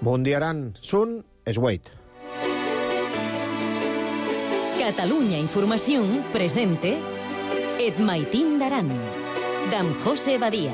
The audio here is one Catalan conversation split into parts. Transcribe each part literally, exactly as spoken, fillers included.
Bon dia, Aran. Sun es Wait. Catalunya Informació presente Et Maitín d'Aran, d'en José Badia.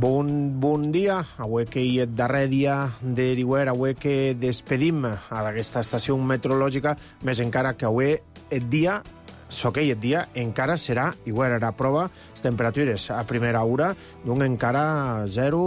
Bon, bon dia, avui que hi és darrer dia de l'hivern, avui que despedim a aquesta estació meteorològica, més encara que avui el dia, soquei el dia, encara serà igual a la prova, les temperatures a primera hora, d'un encara zero,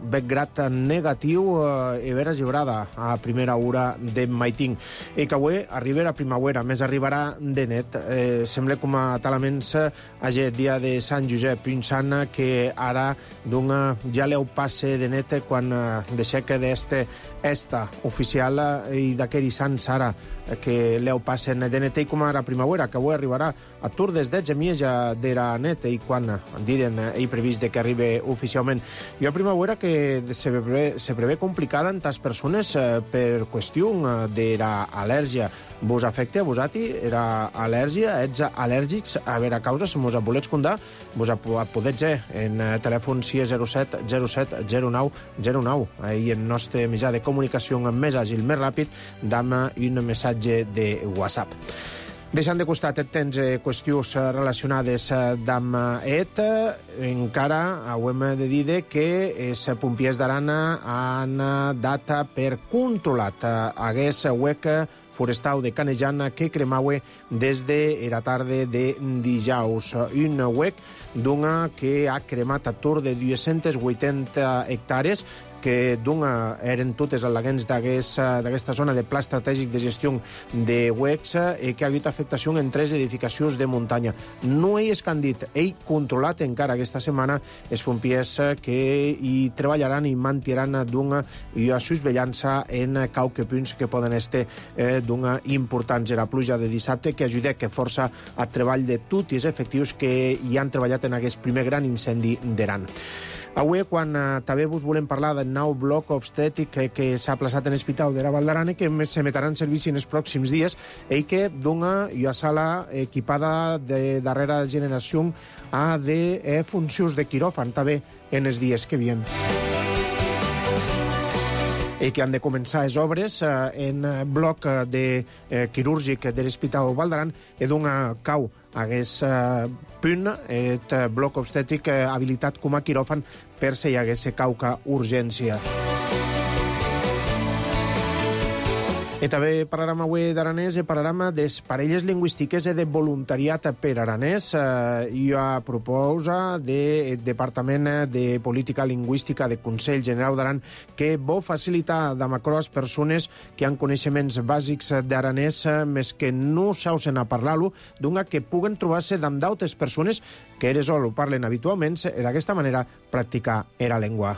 bec grat negatiu eh, i vera gibrada a primera hora de Maitín. I que avui arriba la primavera, més arribarà de net. Eh, sembla com a talaments el dia de Sant Josep, pensant que ara d'un ja l'heu passe de net quan eh, deixeca d'este esta oficial eh, i d'aquell Sant Sara que l'heu passen de net i com a la primavera, que avui arribarà a tur des dotze ja de la net i quan diuen i previst de que arribi oficialment. Hi ha primavera que se prevé, se prevé complicada en tas persones eh, per qüestió de l'al·lèrgia. Vos afecta a vosati era al·lèrgia? Ets al·lèrgics? A veure, a causa, si mos volets contar, vos podeu ser en telèfon sis zero set zero set zero nou zero nou. Ahí el nostre mitjà de comunicació més àgil, més ràpid, dama un missatge de WhatsApp. Deixant de costat et tens eh, qüestions relacionades eh, amb et, encara hem de dir que els pompiers d'Arana han dat per controlat eh, hagués huec forestal de Canejan que cremaue des de la tarda de dijous. Un huec d'una que ha cremat a tur de dues-centes vuitanta hectàrees que d'una eren totes al·leguents d'aquesta zona de pla estratègic de gestió de huecs i que ha hagut afectació en tres edificacions de muntanya. No és que han dit, ell controlat encara aquesta setmana els pompiers que hi treballaran i mantiraran d'una i a susvellança en qualque punts que poden estar eh, d'una importants. La pluja de dissabte que ajuda que força a treball de tots els efectius que hi han treballat en aquest primer gran incendi d'Aran. Avui, quan eh, també vos volem parlar del nou bloc obstètric que, que s'ha plaçat en l'Hospital de la Val d'Aran i que s'emetrà en servici en els pròxims dies i que d'una hi ha sala equipada de darrera generació a de eh, funcions de quiròfan també en els dies que vien. I que han de començar les obres eh, en bloc de eh, quirúrgic de l'Hospital Val d'Aran i d'una cau hagués eh, punt, et bloc obstètric eh, habilitat com a quiròfan per si hi hagués cauca urgència. I també parlarem avui d'aranès i parlarem de parelles lingüístiques i de voluntariat per aranès. Eh, I a proposa del Departament de Política Lingüística de Consell General d'Aran que vol facilitar de macro a les persones que han coneixements bàsics d'aranès més que no sausen a parlar-lo, d'una que puguen trobar-se amb d'altres persones que eres o ho parlen habitualment i d'aquesta manera practicar la llengua.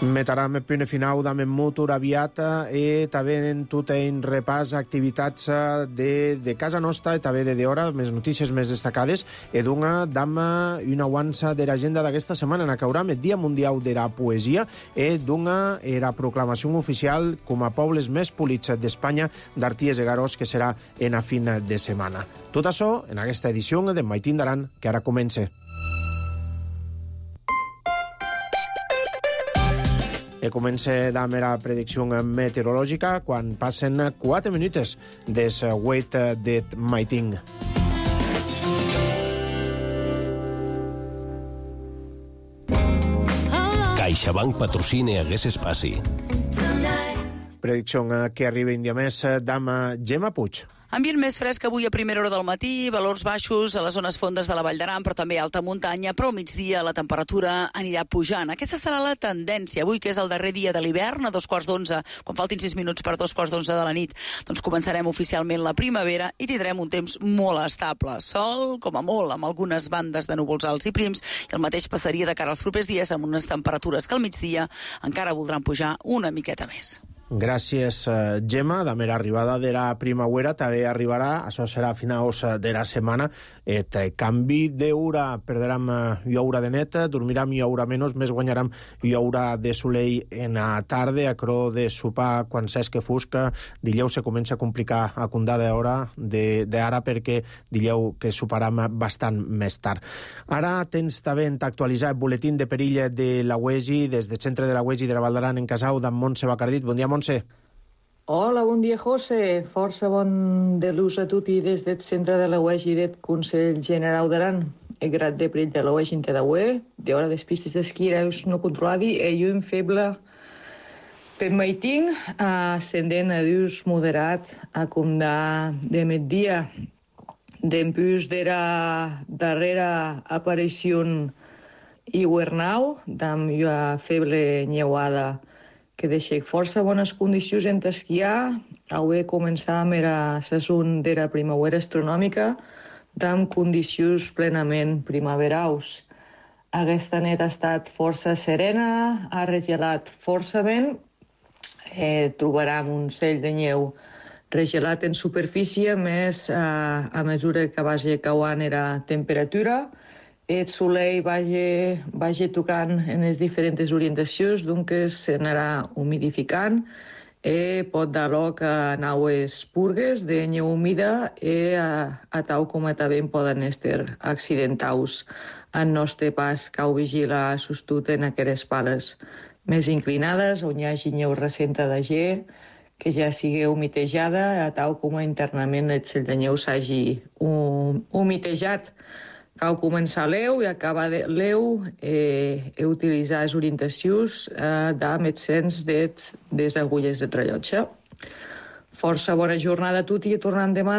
Metarem el punt final d'Amen Mutur aviat i també en tot en repàs activitats de, de casa nostra i també de d'hora, més notícies més destacades i d'una dama i una avança de l'agenda d'aquesta setmana en acauram el Dia Mundial de la Poesia i d'una la proclamació oficial com a pobles més polits d'Espanya d'Arties i Garós que serà en a fin de setmana. Tot això en aquesta edició de Maitín d'Aran que ara comença. I comença amb la predicció meteorològica quan passen quatre minuts des Wait de Maitín. CaixaBank patrocina Hagués Espaci. Predicció que arriba un dia més d'ama Gemma Puig. Ambient més fresc avui a primera hora del matí, valors baixos a les zones fondes de la Vall d'Aran, però també a alta muntanya, però al migdia la temperatura anirà pujant. Aquesta serà la tendència. Avui, que és el darrer dia de l'hivern, a dos quarts d'onze, quan faltin sis minuts per dos quarts d'onze de la nit, doncs començarem oficialment la primavera i tindrem un temps molt estable. Sol, com a molt, amb algunes bandes de núvols alts i prims, i el mateix passaria de cara als propers dies amb unes temperatures que al migdia encara voldran pujar una miqueta més. Gràcies, Gemma. De mera arribada de la primavera també arribarà, això serà a finals de la setmana, et canvi d'hora, perdrem i hora de net, dormirem i hora menys, més guanyarem i hora de soleil en la tarda, a cro de sopar quan s'és que fusca, dileu se comença a complicar a condar d'hora d'ara perquè dileu que soparem bastant més tard. Ara tens també actualitzar el boletín de perill de la U E G I des del centre de la U E G I de la Val d'Aran en Casau, d'en Montse Bacardit. Bon dia, Montse. Hola, bon dia, José. Força bon de l'ús a tutti des del centre de la U E G I del Consell General d'Aran. El grad de perill de la U E G I en T D U E, d'hora des pistes d'esquí reus no controladi, e llum feble per maiting, ascendent a dius moderat a condar de migdia. Dempús d'era darrera aparició hivernau, d'amb una feble nyeuada que deixa força bones condicions en esquiar. Avui començàvem la saison de la primavera astronòmica amb condicions plenament primaverals. Aquesta nit ha estat força serena, ha regelat força vent, eh, trobarem un cell de neu regelat en superfície, més eh, a mesura que vagi cauant la temperatura. El soleil vagi, vagi tocant en les diferents orientacions, doncs s'anarà humidificant i pot dar lloc a naues purgues de neu humida i a, a tal com també poden estar accidentals en nostre pas cau vigila sostut en aquelles pales més inclinades, on hi hagi neu recenta de ge, que ja sigui humitejada, a tal com internament el cell de neu s'hagi humitejat. Cal començar l'eu i acabar l'eu eh, i utilitzar les orientacions eh, d'am el sens de les agulles del rellotge. Força bona jornada a tutti i tornem demà.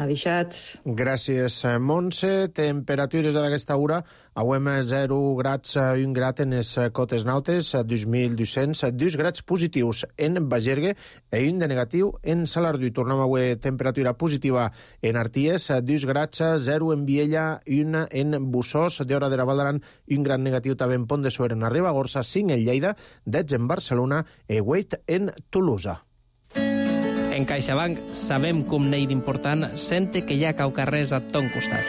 Adixats. Gràcies, Montse. Temperatures d'aquesta hora. Avui zero grads, un grad en les cotes nautes, dos mil dos-cents, dos grads positius en Bagergue i un de negatiu en Salardú. Tornem avui temperatura positiva en Arties, dos grads, zero en Viella, un en Bussós, d'hora de la Val d'Aran, un grad negatiu també en Pont de Suert, en Ribagorça, cinc en Lleida, dotze en Barcelona i vuit en Tolosa. En CaixaBank sabem com n'hi d'important sente que hi ha cau carrers a ton costat.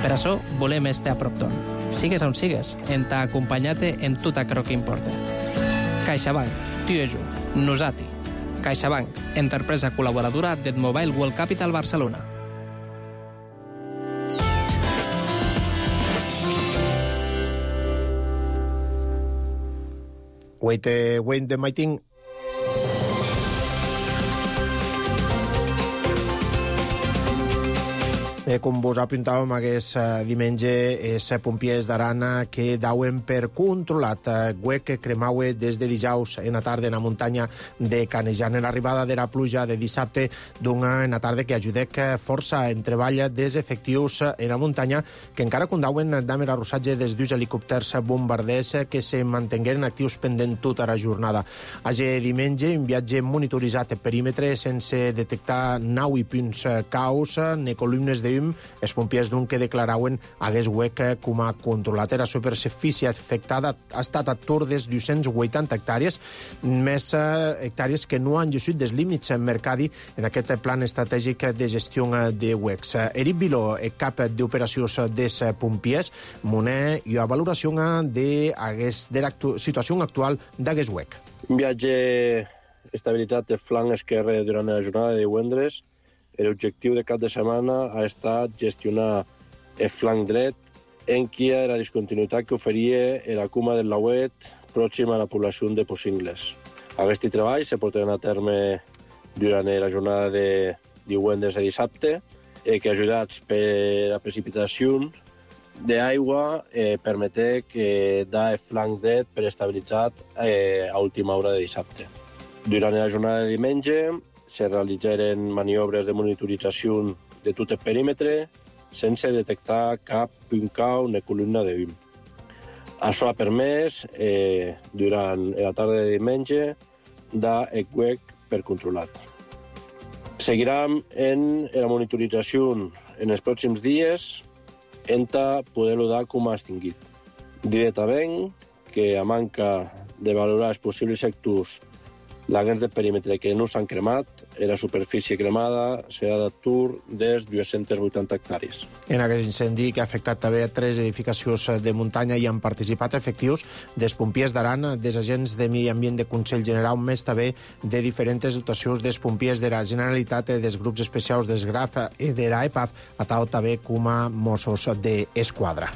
Per això volem estar a prop ton. Sigues on sigues, en t'ha acompanyat en tot aquello que importa. CaixaBank, tu i jo, nosati. CaixaBank, empresa col·laboradora del Mobile World Capital Barcelona. Wait, wait the meeting. Eh, com vos apuntàvem, aquest eh, diumenge és pompiers d'Arana que dauen per controlat eh, huec que cremaue des de dijous en la tarda en la muntanya de Canejan. En l'arribada de la pluja de dissabte d'una en la tarda que ajudec força en treball des efectius en la muntanya que encara condauen d'haver arrossatge des dos helicòpters bombarders que se mantengueren actius pendent tota la jornada. Aquest diumenge, un viatge monitoritzat per perímetre sense detectar nau i punts caus ni columnes de els pompiers d'un que declarauen hagués huec com a controlat. La superfície afectada ha estat a tour des dues-centes vuitanta hectàrees, més hectàrees que no han llegit dels límits mercadi en aquest plan estratègic de gestió de huecs. Eric Viló, cap d'operacions dels pompiers, monè i a valoració de la situació actual d'aquest huec. Un viatge estabilitzat del flanc esquerre durant la jornada de divendres. L'objectiu de cap de setmana ha estat gestionar el flanc dret en qui la discontinuïtat que oferia la cuma del Lauet pròxim a la població de Possingles. Aquest treball se portarà a terme durant la jornada de divendres a dissabte, eh, que ajudats per la precipitació d'aigua eh, permeté que da el flanc dret per estabilitzat eh, a última hora de dissabte. Durant la jornada de diumenge se realitzaren maniobres de monitorització de tot el perímetre sense detectar cap punt cau ni columna de llum. Això ha permès, eh, durant la tarda de diumenge, dar el huec per controlat. Seguirem en la monitorització en els pròxims dies en poder-lo dar com a extingit. Directament que a manca de valorar els possibles sectors Laguens de perímetre que no s'han cremat, era superfície cremada, serà d'atur des dues-centes vuitanta hectàrees. En aquest incendi que ha afectat també tres edificacions de muntanya hi han participat efectius dels pompiers d'Aran, dels agents de Medi Ambient de Consell General, més també de diferents dotacions dels pompiers de la Generalitat, dels grups especials dels Graf i de la E P A F, a tal també com a Mossos d'Esquadra.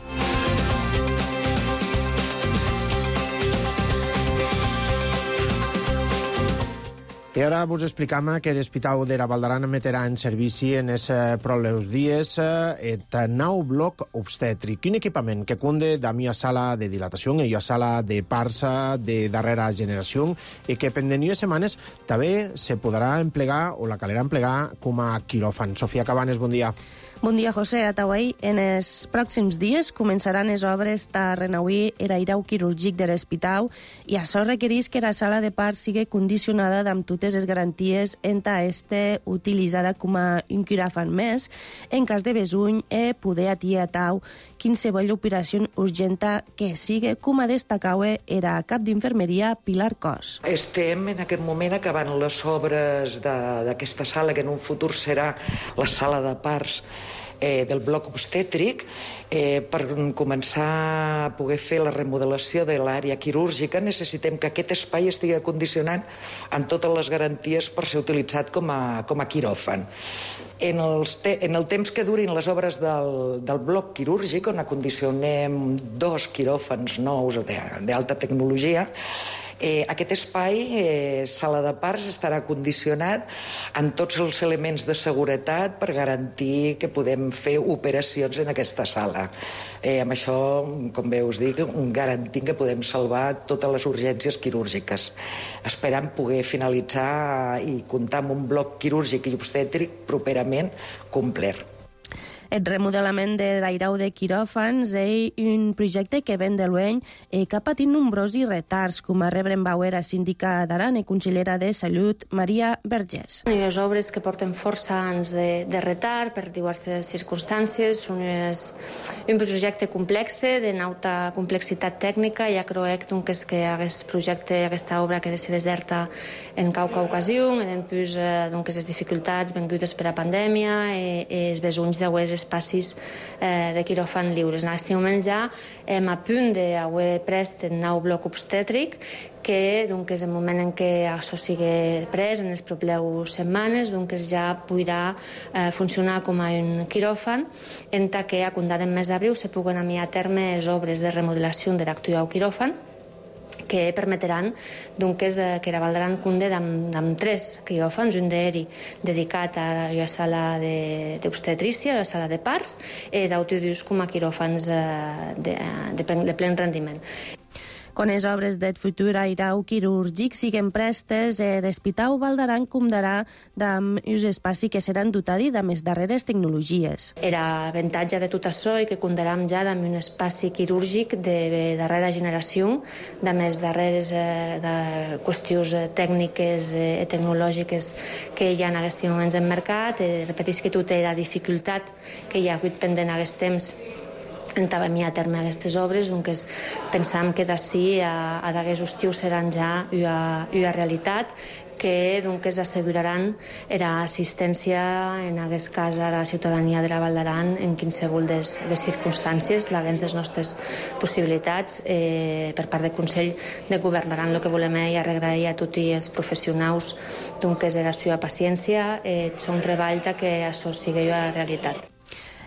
I ara vos explicam que l'Hospital de la Valdaran meterà en servici en els pròleus dies el nou bloc obstètric. Un equipament que conde de una sala de dilatació i una sala de parts de darrera generació i que pendent unes setmanes també se podrà emplegar o la calerà emplegar com a quiròfan. Sofia Cabanes, bon dia. Bon dia, José. Atauai, en els pròxims dies començaran les obres de renauir l'airau quirúrgic de l'hospital i això requereix que la sala de parts sigui condicionada amb totes les garanties en ta este utilitzada com a un quiròfan més en cas de besuny e poder atiar a tau qualsevol operació urgenta que sigui, com a destacaue era cap d'infermeria Pilar Cos. Estem en aquest moment acabant les obres d'aquesta sala, que en un futur serà la sala de parts eh, del bloc obstètric, eh, per començar a poder fer la remodelació de l'àrea quirúrgica necessitem que aquest espai estigui condicionat amb totes les garanties per ser utilitzat com a, com a quiròfan. En, els te en el temps que durin les obres del, del bloc quirúrgic, on acondicionem dos quiròfans nous d'alta tecnologia, Eh, aquest espai, eh, sala de parts, estarà condicionat amb tots els elements de seguretat per garantir que podem fer operacions en aquesta sala. Eh, amb això, com bé us dic, garantint que podem salvar totes les urgències quirúrgiques. Esperant poder finalitzar i comptar amb un bloc quirúrgic i obstètric properament complet. El remodelament de l'airau de quiròfans és un projecte que ven de l'any i que ha patit nombrosos retards, com a rebren Bauer, a síndica d'Aran i consellera de Salut, Maria Vergés. Hi ha obres que porten força anys de, de retard per diverses circumstàncies. Un, és un projecte complex, de alta complexitat tècnica. Ja crec que, és que aquest projecte, aquesta obra que de ser deserta en qualque ocasió, i després doncs, les dificultats vengudes per la pandèmia i, i els besunys d'auers espacis eh, de quiròfan lliures. En aquest moment ja hem a punt d'haver prest el nou bloc obstètric, que doncs, és el moment en què això sigui pres en les properes setmanes, doncs ja podrà eh, funcionar com a un quiròfan, en tant que a comptar del mes d'abril se puguen enviar a terme les obres de remodelació de l'actual quiròfan, que permetran doncs, que la Valdaran compte amb tres quiròfans, un d'aeri dedicat a la sala d'obstetrícia, a la sala de parts, i els altres com a quiròfans de, de, de plen rendiment. Quan les obres del futur airau quirúrgic siguen prestes, l'Hospital Valdaran comptarà amb un espai que seran dotats de les darreres tecnologies. Era avantatge de tot això i que comptarem ja amb un espai quirúrgic de darrera generació, de més darreres eh, de qüestions tècniques i eh, tecnològiques que hi ha en aquests moments en mercat. Eh, repeteix que tota la dificultat que hi ha hagut pendent en aquest temps entabem a terme aquestes obres, doncs pensam que d'ací a, a d'aquest estiu seran ja una, una realitat que doncs, asseguraran l'assistència, en aquest cas a la ciutadania de la Valdaran, en qualsevol de les circumstàncies, l'aguens de les nostres possibilitats. Eh, per part del Consell de Govern d'Aran, el que volem és agrair a tots els professionals doncs, la seva paciència, eh, són treball que això sigui una realitat.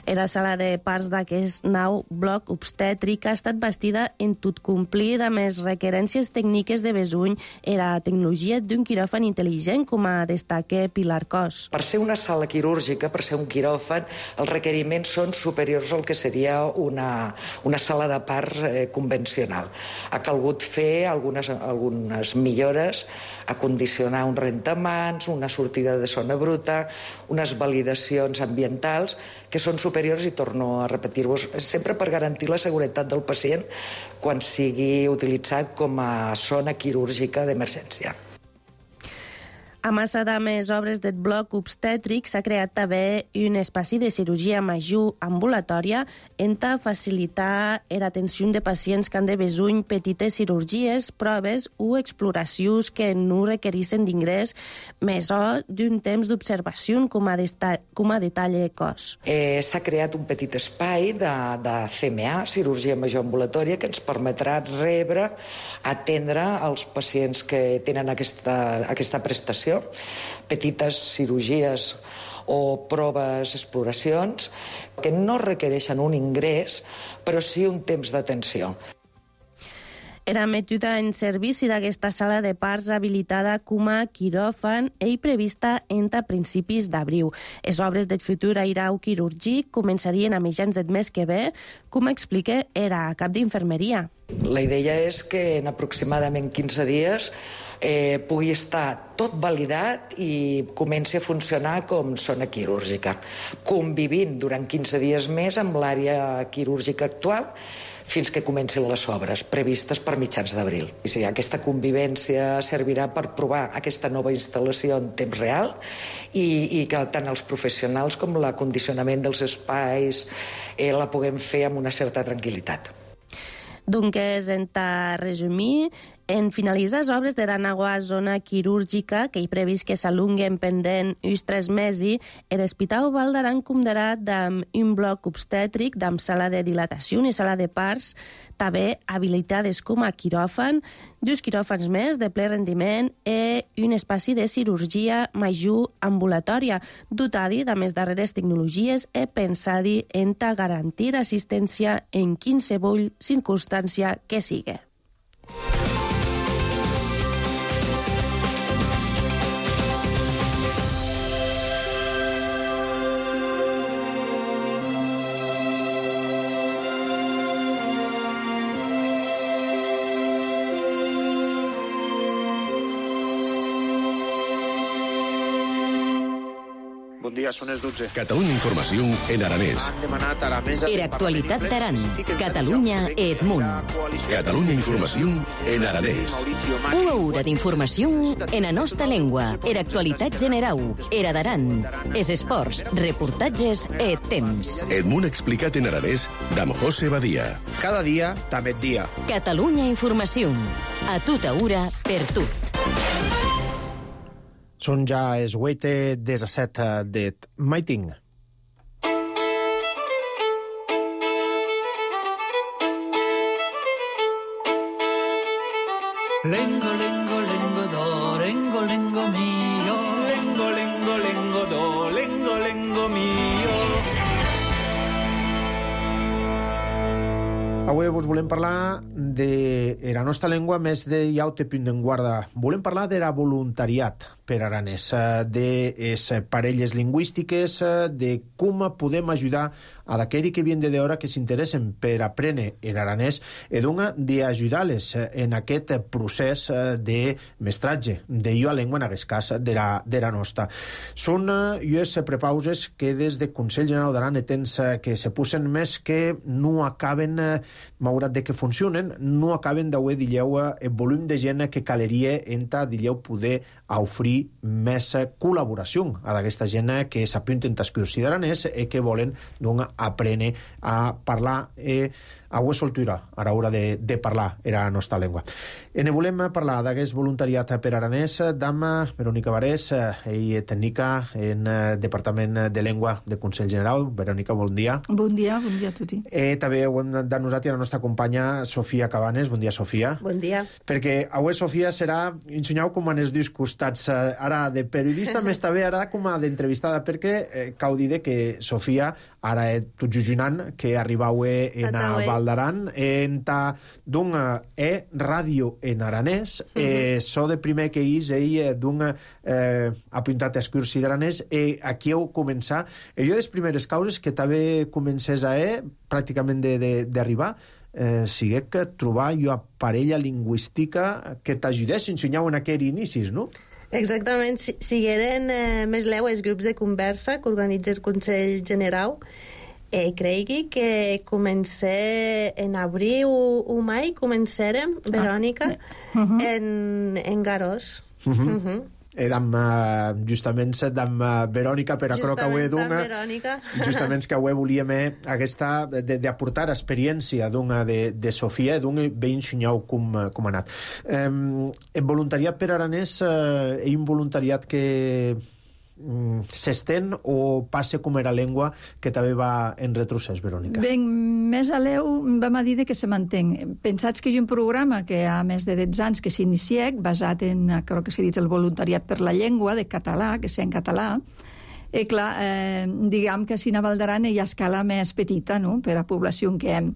La sala de parts d'aquest nou bloc obstètric ha estat bastida en tot complir amb les requerències tècniques de besuny i la tecnologia d'un quiròfan intel·ligent, com a destaca Pilar Cos. Per ser una sala quirúrgica, per ser un quiròfan, els requeriments són superiors al que seria una, una sala de parts eh, convencional. Ha calgut fer algunes, algunes millores, acondicionar un rentamans, una sortida de zona bruta, unes validacions ambientals que són superiors, i torno a repetir-vos, sempre per garantir la seguretat del pacient quan sigui utilitzat com a zona quirúrgica d'emergència. A massa de més obres del bloc obstètric s'ha creat també un espai de cirurgia major ambulatòria en ta facilitar l'atenció de pacients que han de besuny petites cirurgies, proves o exploracions que no requereixen d'ingrés més o d'un temps d'observació com a, com a detall de cos. Eh, s'ha creat un petit espai de, de C M A, cirurgia major ambulatòria, que ens permetrà rebre, atendre els pacients que tenen aquesta, aquesta prestació, petites cirurgies o proves, exploracions, que no requereixen un ingrés, però sí un temps d'atenció. Era metuda en servici d'aquesta sala de parts habilitada com a quiròfan i prevista entre principis d'abril. Les obres del futur airau quirúrgic començarien a mitjans del mes que ve, com explica era cap d'infermeria. La idea és que en aproximadament quinze dies eh, pugui estar tot validat i comenci a funcionar com zona quirúrgica, convivint durant quinze dies més amb l'àrea quirúrgica actual, fins que comencin les obres, previstes per mitjans d'abril. I sí, aquesta convivència servirà per provar aquesta nova instal·lació en temps real i, i que tant els professionals com l'acondicionament dels espais eh, la puguem fer amb una certa tranquil·litat. Doncs, en ta resumir, en finalitzar les obres de la nova zona quirúrgica, que hi previst que s'alunguen pendent uns tres mesos, l'Hospital Vall d'Aran comptarà amb un bloc obstètric, amb sala de dilatació i sala de parts, també habilitades com a quiròfan, dos quiròfans més de ple rendiment i un espai de cirurgia major ambulatòria, dotadi de més darreres tecnologies i pensadi en ta garantir assistència en qualsevol circumstància que sigui. Bon dia, són les dotze. Catalunya Informació en aranès. Era actualitat d'Aran. Catalunya et munt. Catalunya Informació en aranès. Una hora d'informació en la nostra llengua. Era actualitat generau. Era d'Aran. Es esports, reportatges et temps. El món explicat en aranès d'Am José Badia. Cada dia, també dia. Catalunya Informació. A tota hora, per tot. Són ja els vuit disset de Maiting. Lengo, lengo, lengo, do, lengo, lengo mio. Lengo, lengo, lengo, do, lengo, lengo mio. Avui vos volem parlar de la nostra llengua més de llaute punt en guarda. Volem parlar de la voluntariat per aranès, de les parelles lingüístiques, de com podem ajudar a d'aquells que vienen de d'hora que s'interessen per aprendre l'aranès i d'una d'ajudar-les en aquest procés de mestratge de llua llengua, en aquest cas, de la, de la nostra. Són llues prepauses que des de Consell General d'Aran tens que se posen més que no acaben, malgrat de que funcionen, no acaben d'haver, dilleu, el volum de gent que caleria entre, dilleu, poder oferir més col·laboració a d'aquesta gent que s'apunten als cursos d'aranès i que volen doncs, aprendre a parlar i a ho soltura a l'hora de, de parlar la nostra llengua. En volem parlar d'aquest voluntariat per aranès d'Am Verònica Varés, i tècnica en Departament de Llengua de Consell General. Verònica, bon dia. Bon dia, bon dia a tutti. I també ho hem de nosaltres a la nostra companya Sofia Cabanes. Bon dia, Sofia. Bon dia. Perquè avui, Sofia, serà, ensenyau com en els dos costats, ara de periodista, més també ara com a d'entrevistada, perquè eh, cau dir que Sofia, ara tot jujunant, que arribau en a Val d'Aran, en ta d'un e ràdio en aranès, eh, so de primer que és ell d'un eh, apuntat a cursi d'aranès, i aquí heu començat. I jo, les primeres causes que també comencés a e, pràcticament d'arribar, eh, sigui que trobar una parella lingüística que t'ajudés a ensenyar en aquells inicis, no? Exactament, si, sigueren eh, més leu els grups de conversa que organitza el Consell General. Eh, cregui que comencé en abril o mai, començarem, Verònica, uh -huh. en, en Garós. Uh -huh. Uh -huh. Edam, uh, justament d'am uh, Verònica, per acrò que avui d'una, justament que avui volíem aquesta d'aportar experiència d'una de, de Sofia, d'un ben xunyau com, com ha anat. Um, el voluntariat per Aranès uh, és un voluntariat que um, s'estén o passa com era llengua que també va en retrocés, Verònica? Ben, més a l'eu vam a dir que se mantenc. Pensats que hi ha un programa que ha més de dotze anys que s'inicia, basat en, crec que s'ha dit, el voluntariat per la llengua, de català, que sea en català. I clar, eh, diguem que si a Val d'Aran hi ha escala més petita, no?, per a població que hem.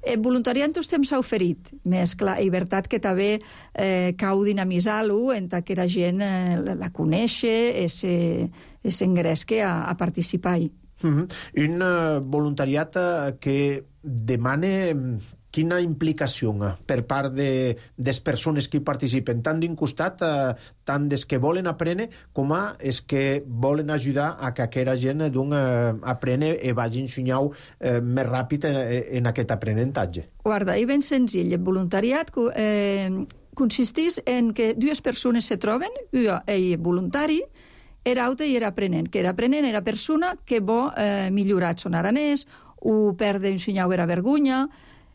El voluntariat en tots temps s'ha oferit, més clar, i veritat que també eh, cau dinamitzar-lo en que la gent eh, la coneixi i s'engresqui a, a participar-hi. Uh-huh. Un uh, voluntariat uh, que demana quina implicació uh, per part de les persones que hi participen, tant d'un costat, uh, tant des que volen aprendre, com a és que volen ajudar a que aquella gent uh, aprene i vagi ensenyant uh, més ràpid en, en aquest aprenentatge. Guarda, és ben senzill. El voluntariat eh, consisteix en que dues persones se troben, un és voluntari, era altre i era aprenent. Que era aprenent era persona que vol eh, millorar son aranès, o perdre ensenyar era vergonya.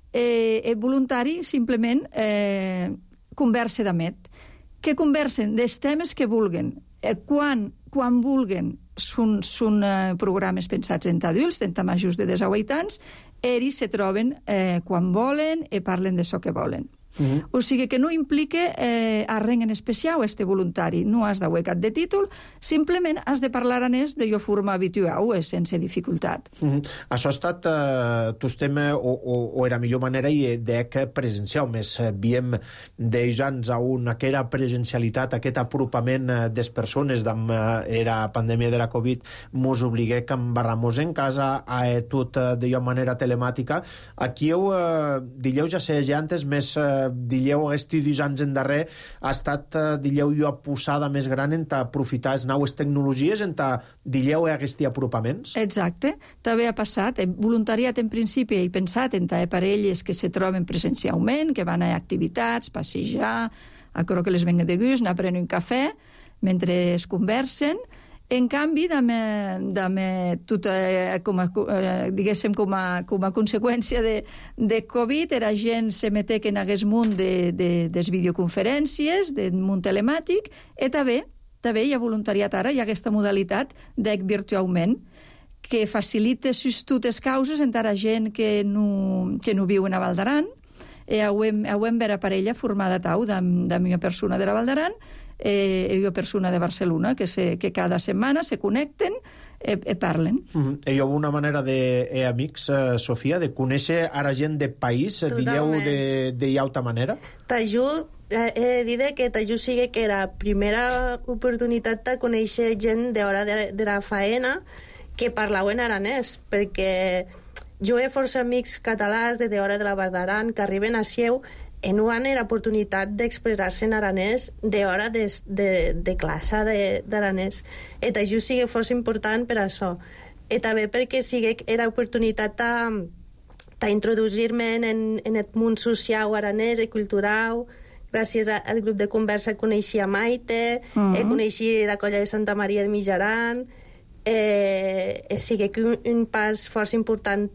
Eh, el voluntari simplement eh, conversa d'amet. Que conversen dels temes que vulguen. Eh, quan, quan vulguen són, són eh, programes pensats en adults, en majors de desahuit anys, ells se troben eh, quan volen i parlen de això que volen. Uh-huh. O sigui que no implica eh, arreng en especial este voluntari. No has de cap de títol, simplement has de parlar aranès de jo forma habitual, sense dificultat. Uh-huh. Això ha estat eh, tostem o, o, o era millor manera i de que presencial. Més eh, viem d'ells anys a una que era presencialitat, aquest apropament eh, des persones d'am eh, era pandèmia de la Covid, mos obligué que embarramos en casa a eh, tot eh, de manera telemàtica. Aquí heu, eh, dilleu ja sé, ja antes més eh, dilleu aquests dos anys en darrer ha estat, dilleu, jo posada més gran en aprofitar les noves tecnologies, en dilleu aquests apropaments? Exacte, també ha passat. El voluntariat en principi he pensat en parelles que se troben presencialment, que van a activitats, passejar, a crec que les venga de gust, anar a prendre un cafè mentre es conversen. En canvi, dame, dame tot, eh, com a, eh, diguéssim, com a, com a conseqüència de, de Covid, era gent se metec en aquest món de, de, des videoconferències, del món telemàtic, i també, també hi ha voluntariat ara, hi ha aquesta modalitat d'ec virtualment, que facilita sus totes causes encara gent que no, que no viuen a Val d'Aran, i hem, hem vera parella formada tau de, de una persona de la Val d'Aran, eh, i una persona de Barcelona, que, se, que cada setmana se connecten i eh, parlen. Uh-huh. Hi ha una manera de, eh, amics, eh, Sofia, de conèixer ara gent de país, digueu de, de alta manera? T'ajut, eh, he de dir que t'ajut sigui que era primera oportunitat de conèixer gent d'hora de, de la faena que parlaven aranès, perquè jo he força amics catalans de d'hora de la Val d'Aran que arriben a Sieu i no han l'oportunitat d'expressar-se en aranès d'hora de, de, de classe d'aranès. I això sigui força important per això. I també perquè sigui era oportunitat d'introduir-me en, en el món social aranès i cultural. Gràcies al grup de conversa coneixia Maite, uh-huh. eh, coneixia la colla de Santa Maria de Mijaran, eh, eh, sigui que un, un pas força important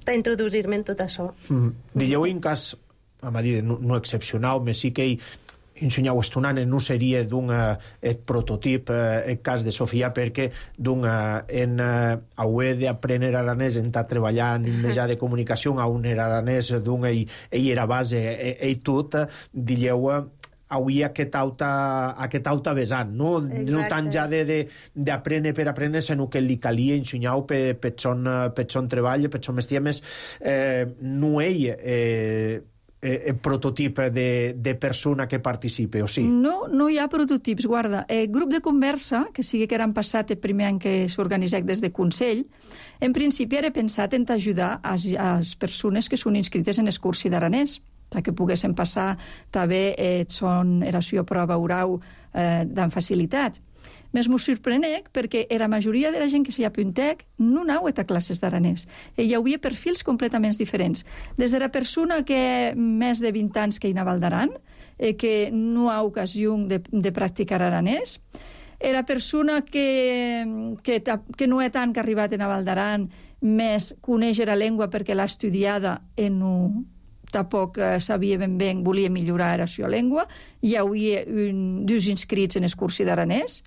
d'introduir-me en tot això. Mm. Dilleu en cas, a dir, no, no excepcional, me sí que hi ensenyau estonant no seria d'un eh, prototip eh, el cas de Sofia, perquè d'un en eh, haver d'aprendre aranès en estar treballant en mitjà de comunicació a un era aranès d'un ell, ell era base ell, ell tot, dilleu avui aquest auta, aquest auta vessant, no? No tant ja d'aprendre per aprendre, sinó que li calia ensenyar per, per, son, per son treball, per son mestia més, eh, no ell eh, el prototip de, de persona que participe, o sí? No, no hi ha prototips, guarda. El grup de conversa, que sigui que era passat el primer any que s'organitzà des de Consell, en principi era pensat en ajudar a les persones que són inscrites en el cursi d'aranès, que poguessin passar també eh, son eració prova oral eh, amb facilitat. Més m'ho sorprenec perquè la majoria de la gent que s'hi apuntec no anau a classes d'aranès. I hi havia perfils completament diferents. Des de la persona que més de vint anys que hi anava al d'Aran, eh, que no ha ocasió de, de practicar aranès. Era persona que, que, que no és tant que ha arribat en Val d'Aran, més coneix la llengua perquè l'ha estudiada en un... tampoc eh, sabia ben bé, volia millorar la seva llengua. Hi havia un, dos inscrits en el curs d'aranès.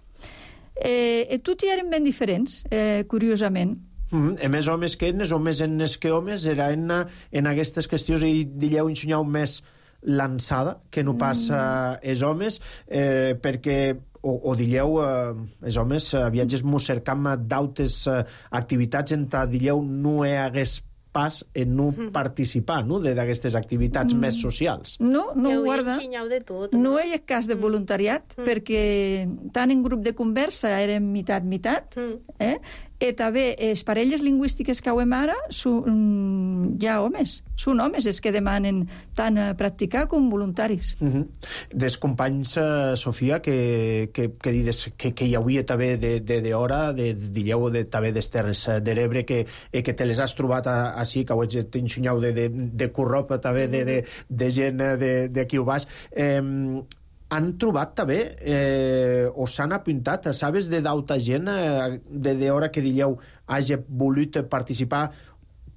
Eh, e tots eren ben diferents, eh, curiosament. Mm, -hmm. Més homes que enes, homes enes que homes, era en, en aquestes qüestions i dilleu ensenyau més lançada que no passa mm. els homes, eh, perquè o, o dilleu eh, els homes eh, viatges mos cercam d'autes eh, activitats en ta dilleu no hi hagués pas en no mm. participar, no?, d'aquestes activitats mm. més socials. No, no ho guarda. De tot, no? no hi ha cas de voluntariat, mm. perquè tant en grup de conversa érem mitat-mitat, mm. eh? I també les parelles lingüístiques que hauem ara són ja homes, són homes els que demanen tant a practicar com voluntaris. Mm -hmm. Des companys, uh, Sofia, que, que, que dides que, que hi havia també d'hora, de, de, dilleu de, també des Terres de l'Ebre, que, eh, que te les has trobat a, així, que ho ets ensenyau de, de, de curropa també, de, de, de gent d'aquí ho baix. Eh, han trobat també, eh, o s'han apuntat, sabes de d'alta gent, eh, de d'hora que dilleu hagi volut participar,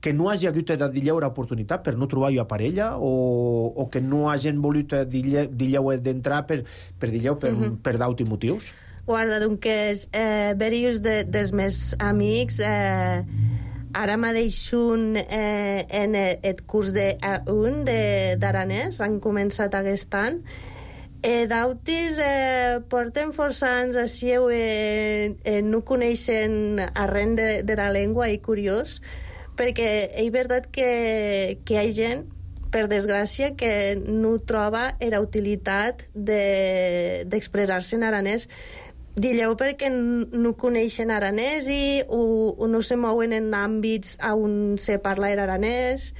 que no hagi hagut de dilleu l'oportunitat per no trobar jo parella, o, o que no hagin volut dilleu, dilleu d'entrar per, per dilleu per, mm-hmm. per d'altres motius? Guarda, doncs, eh, varios de, dels meus amics eh, ara mateix un eh, en el curs de A un d'aranès, han començat aquest any. Eh, D'altres eh, porten força anys així, eh, eh, no coneixen arren de, de la llengua, i curiós, perquè és veritat que, que hi ha gent, per desgràcia, que no troba la utilitat d'expressar-se de, en aranès. Dilleu perquè no coneixen aranès i o, o no se mouen en àmbits on se parla aranès,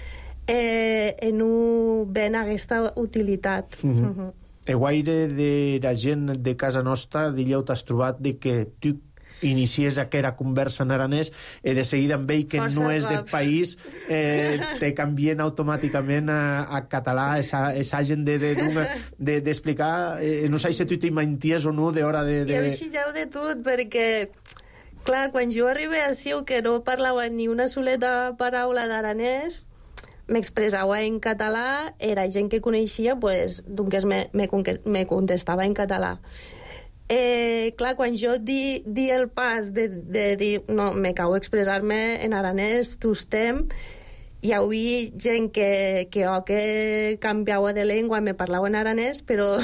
eh, i no ven aquesta utilitat. Mm-hmm. Mm-hmm. El guaire de la gent de casa nostra, dilleu, t'has trobat de que tu inicies aquella conversa en aranès i de seguida amb ell que força no és del país eh, te canvien automàticament a, a català, esa, esa gent d'explicar de, de, de eh, no sé si tu t'hi menties o no d'hora de... de... Jo xilleu de tot, perquè clar, quan jo arribé a Siu, que no parlava ni una soleta paraula d'aranès, m'expressava en català, era gent que coneixia, pues, doncs me, me, me contestava en català. Eh, clar, quan jo di, di el pas de, de dir, no, me cau expressar-me en aranès, tostem, hi havia gent que, que o que canviava de llengua, me parlava en aranès, però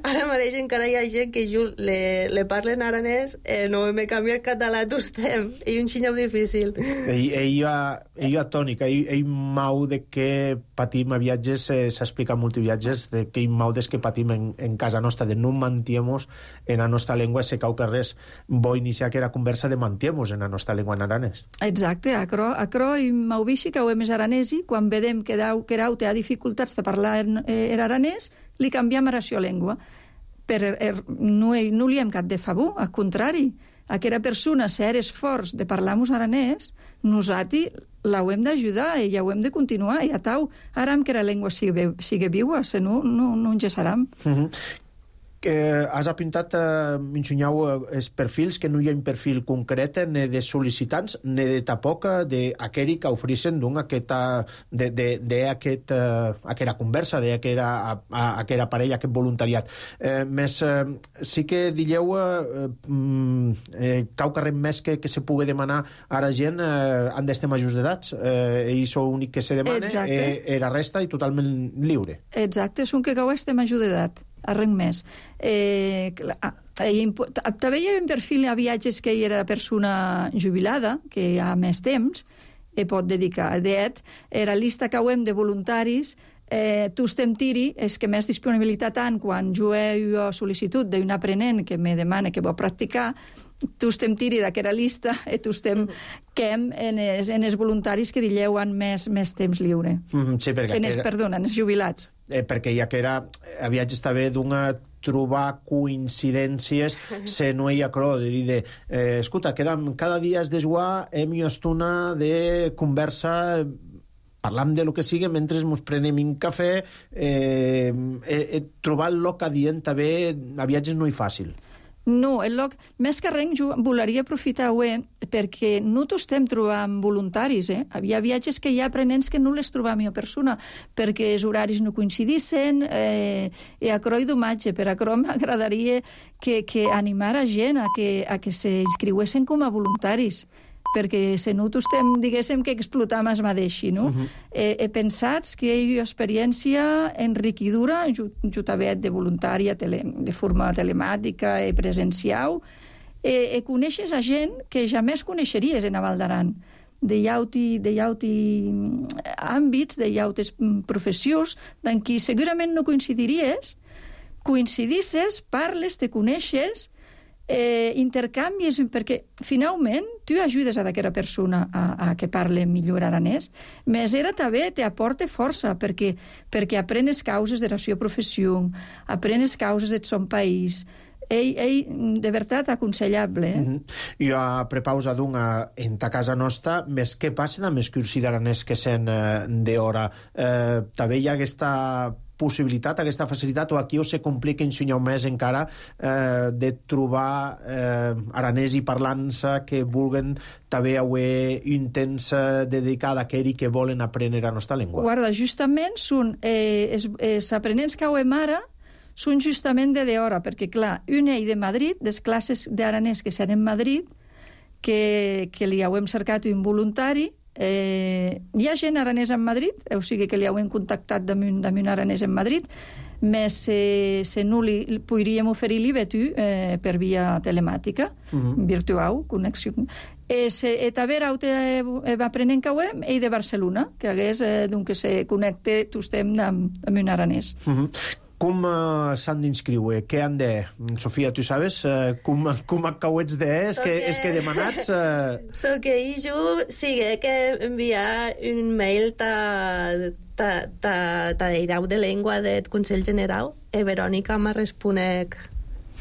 ara mateix encara hi ha gent que jo le, le parla en aranès, eh, no me canvia el català, tostem, i un xinyau difícil. Ell, ella, ella tònica, ell, ell mau de que patim a viatges, eh, s'explica en multiviatges, de que ell mau des que patim en, en casa nostra, de no mantiemos en la nostra llengua, se cau que res, bo iniciar que era conversa de mantiemos en la nostra llengua en aranès. Exacte, acro, acro i mau vixi que ho hem és aranesi, quan vedem que Querau té dificultats de parlar en eh, aranès, li canviem a la seva llengua. Per, er, no, no li hem cap de favor, al contrari. Aquella persona, si eres forts de parlar-nos aranès, nosaltres l'hem d'ajudar i ja ho hem de continuar. I a tau, ara que la llengua sigui, sigui viua, si no, no, no engesaram. Mm-hmm. Que has apuntat, eh, m'ensenyau eh, els perfils, que no hi ha un perfil concret ni de sol·licitants ni de tampoc d'aquell que ofereixen aquesta de, de, de aquest, eh, aquella conversa, d'aquella aquella parella, aquest voluntariat. Eh, més, eh, sí que dilleu eh, eh, cau carrer més que, que se pugui demanar a la gent eh, han d'estar majors d'edats. Eh, ells són l'únic que se demana, eh, la resta i totalment lliure. Exacte, és un que cau estar major d'edat. Arrenc més. Eh, també hi ha un perfil a viatges que hi era persona jubilada, que hi ha més temps, i pot dedicar. D'et, era llista que hem de voluntaris, eh, tu estem tiri, és que més disponibilitat tant quan jo he sol·licitud d'un aprenent que me demana que vol practicar, tu estem tiri d'aquesta llista i tu estem quem en els, en els voluntaris que dilleu han més, més temps lliure. Mm, sí, perquè... En els, era... Perdona, en els jubilats. Eh, perquè ja que era, a viatges també d'una trobar coincidències se no hi ha cro, de dir de, eh, escolta, cada, cada dia es desguà hem una estona de conversa parlam de lo que sigui mentre ens prenem un cafè, eh, eh, trobar el lloc adient també a viatges no és fàcil. No, el lloc, més que res, jo volaria aprofitar avui perquè no t'ho estem trobant voluntaris, eh? Hi ha viatges que hi ha aprenents que no les trobam a persona, perquè els horaris no coincidissin, eh, i a cro i domatge, per a cro m'agradaria que, que animar a gent a que, a que s'inscriuessin com a voluntaris, perquè se no t'ho estem, diguéssim, que explotam es mateixi, no? Uh-huh. eh, he pensat que hi ha experiència enriquidora, també de voluntària, tele, de forma telemàtica i presencial, eh, eh, coneixes a gent que jamais coneixeries en a Val d'Aran, de llauti, de llauti àmbits, de llautes professions, en qui segurament no coincidiries, coincidisses, parles, te coneixes, eh, intercanvis, perquè finalment tu ajudes a d'aquella persona a, a que parle millor aranès, més era també te aporta força, perquè, perquè aprenes causes de la seva professió, aprenes causes del son país. Ei, ei, de veritat, aconsellable. Eh? Mm-hmm. Jo a prepausa d'una en ta casa nostra, més què passa amb els cursi d'aranès que sent eh, d'hora? Eh, també hi ha aquesta possibilitat, aquesta facilitat, o aquí o se complica un senyor més encara eh, de trobar eh, aranès i parlants que vulguen també haver un temps dedicat a aquells que volen aprendre la nostra llengua. Guarda, justament són eh, els, els aprenents que hauem ara són justament de d'hora, perquè clar, un ell de Madrid, des classes d'aranès que seran en Madrid, que, que li hauem cercat un voluntari. Eh, hi ha gent aranès en Madrid, o sigui que li hauem contactat damunt, damunt aranès en Madrid, més eh, se no li, li podríem oferir-li tu eh, per via telemàtica, uh-huh. virtual, connexió. Eh, se, et a veure, eh, aprenent que hauem, ell de Barcelona, que hagués, eh, doncs, que se connecte, tu estem amb, amb un aranès. Uh-huh. Com uh, s'han d'inscriure? Què han de... Sofia, tu sabes uh, com, com acabets de... És que, és que demanats... Uh... So que jo sigue que enviar un mail ta, ta, ta, ta irau de llengua del Consell General e Verònica me responec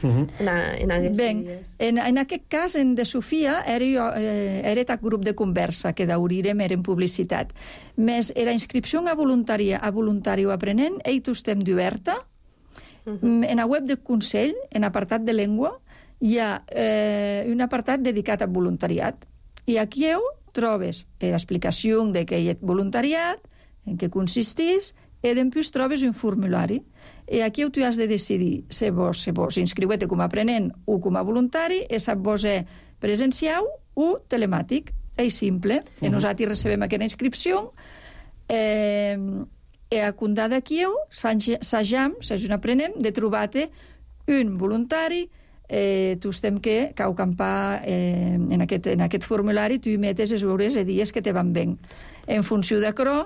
uh-huh. en, a, en aquests ben, dies. En, en aquest cas, en de Sofia, era, jo, eh, era aquest grup de conversa que d'aurirem era en publicitat. Més era inscripció a voluntària a voluntari o aprenent, ell tu estem d'oberta. Uh-huh. En la web del Consell, en apartat de llengua, hi ha eh, un apartat dedicat al voluntariat. I aquí heu trobes l'explicació de què hi ha voluntariat, en què consistís, i després trobes un formulari. I aquí tu has de decidir si vos, si vos inscriuete com a aprenent o com a voluntari, i sap vos és presencial o telemàtic. És simple. Uh-huh. I nosaltres recebem aquesta inscripció. Eh... E a Condà de Kieu, s'ajam, s'ajam aprenem, de trobar-te un voluntari, eh, tu estem que cau campar eh, en, aquest, en aquest formulari, tu hi metes els hores i dies que te van ben. En funció d'acrò,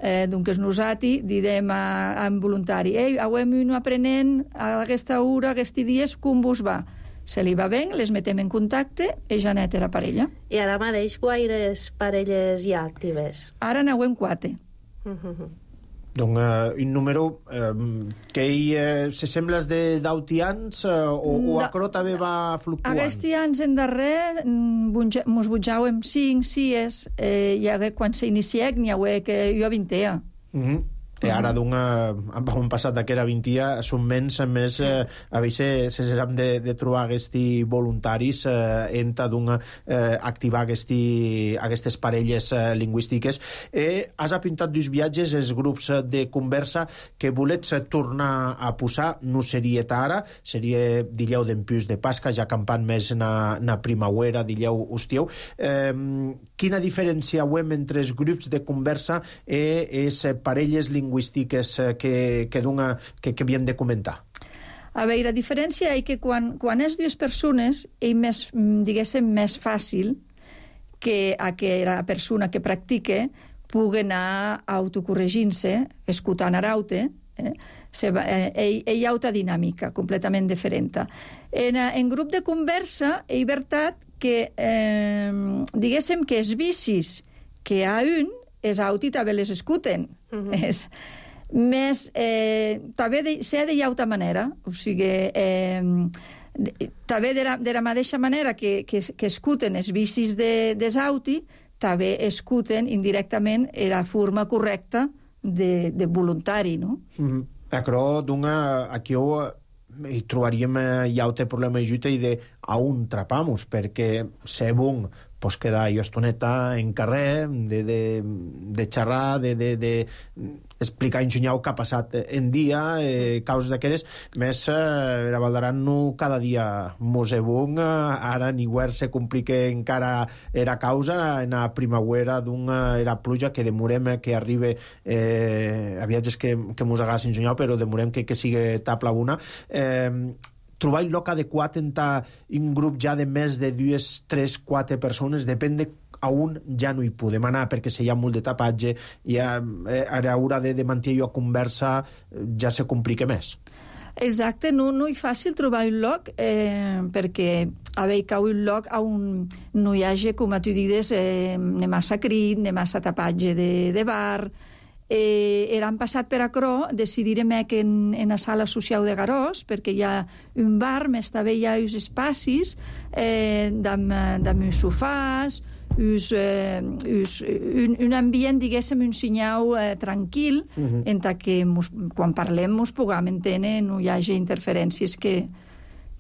eh, doncs nosaltres direm a, a un voluntari, ei, hauem un aprenent a aquesta hora, aquests dies, com vos va? Se li va bé, les metem en contacte i ja net era parella. I ara mateix guaires parelles hi ha actives? Ara n'hauem quatre. Uh-huh. Donc, uh, un número uh, que hi uh, se sembla de d'auti anys uh, o, o acrò també va fluctuant? Aquests anys en darrer mos butjau amb cinc, sis, eh, i hagué, quan s'iniciec n'hi hagué que jo vintea. Mm-hmm. E ara d'una... Han passat que era vint anys, són menys, més, eh, a vegades se sap de, de trobar aquests voluntaris eh, enta d'una eh, activar aquesti, aquestes parelles eh, lingüístiques. Eh, has apuntat dos viatges, els grups de conversa que volets tornar a posar, no seria ara, seria dillau d'empús de Pasca, ja campant més na, na primavera, dillau hostieu. Eh, quina diferència ho hem entre els grups de conversa i les parelles lingüístiques lingüístiques que, que, dona, que, que havíem de comentar? A veure, la diferència és que quan, quan és dues persones és més, diguéssim, més fàcil que a que la persona que practique pugui anar autocorregint-se, escoltant araute, eh? Se va, eh, hi ha altra dinàmica completament diferent. En, en grup de conversa és veritat que, eh, diguéssim que els vicis que hi ha un, els auti també les escuten. Uh-huh. És, més, eh, també de, s'ha de altra manera, o sigui, eh, de, també de la, de la mateixa manera que, que, que escuten els vicis de, des auti, també escuten indirectament la forma correcta de, de voluntari, no? Mm-hmm. Però, d'una, aquí ho, hi trobaríem hi ha un problema de lluita i de a on trapamos, perquè ser bon pues quedar jo estoneta en carrer de, de, de xerrar, de, de, de explicar ensenyar què ha passat en dia, eh, causes d'aquelles, més eh, la Valdaran no cada dia mos ebung, ara ni guer se complique encara era causa, en la primavera d'una era pluja que demorem que arribe eh, a viatges que, que mos hagués ensenyat, però demorem que, que sigui tapla una. Eh, trobar el lloc adequat en un grup ja de més de dues, tres, quatre persones, depèn de a on ja no hi podem anar, perquè si hi ha molt de tapatge, i a, a l'hora de, de mantenir la conversa ja se complica més. Exacte, no, no és fàcil trobar un lloc, eh, perquè haver cau un lloc on no hi hagi, com tu dius, eh, ni massa crit, ni massa tapatge de, de bar. Eh, eran passat per acrò, decidirem que en, en la sala social de Garós, perquè hi ha un bar, més també hi ha uns espacis eh, amb uns sofàs, us, eh, us, un, un ambient, diguéssim, un senyal eh, tranquil, uh-huh. en que mos, quan parlem mos puguem entendre, no hi hagi interferències que,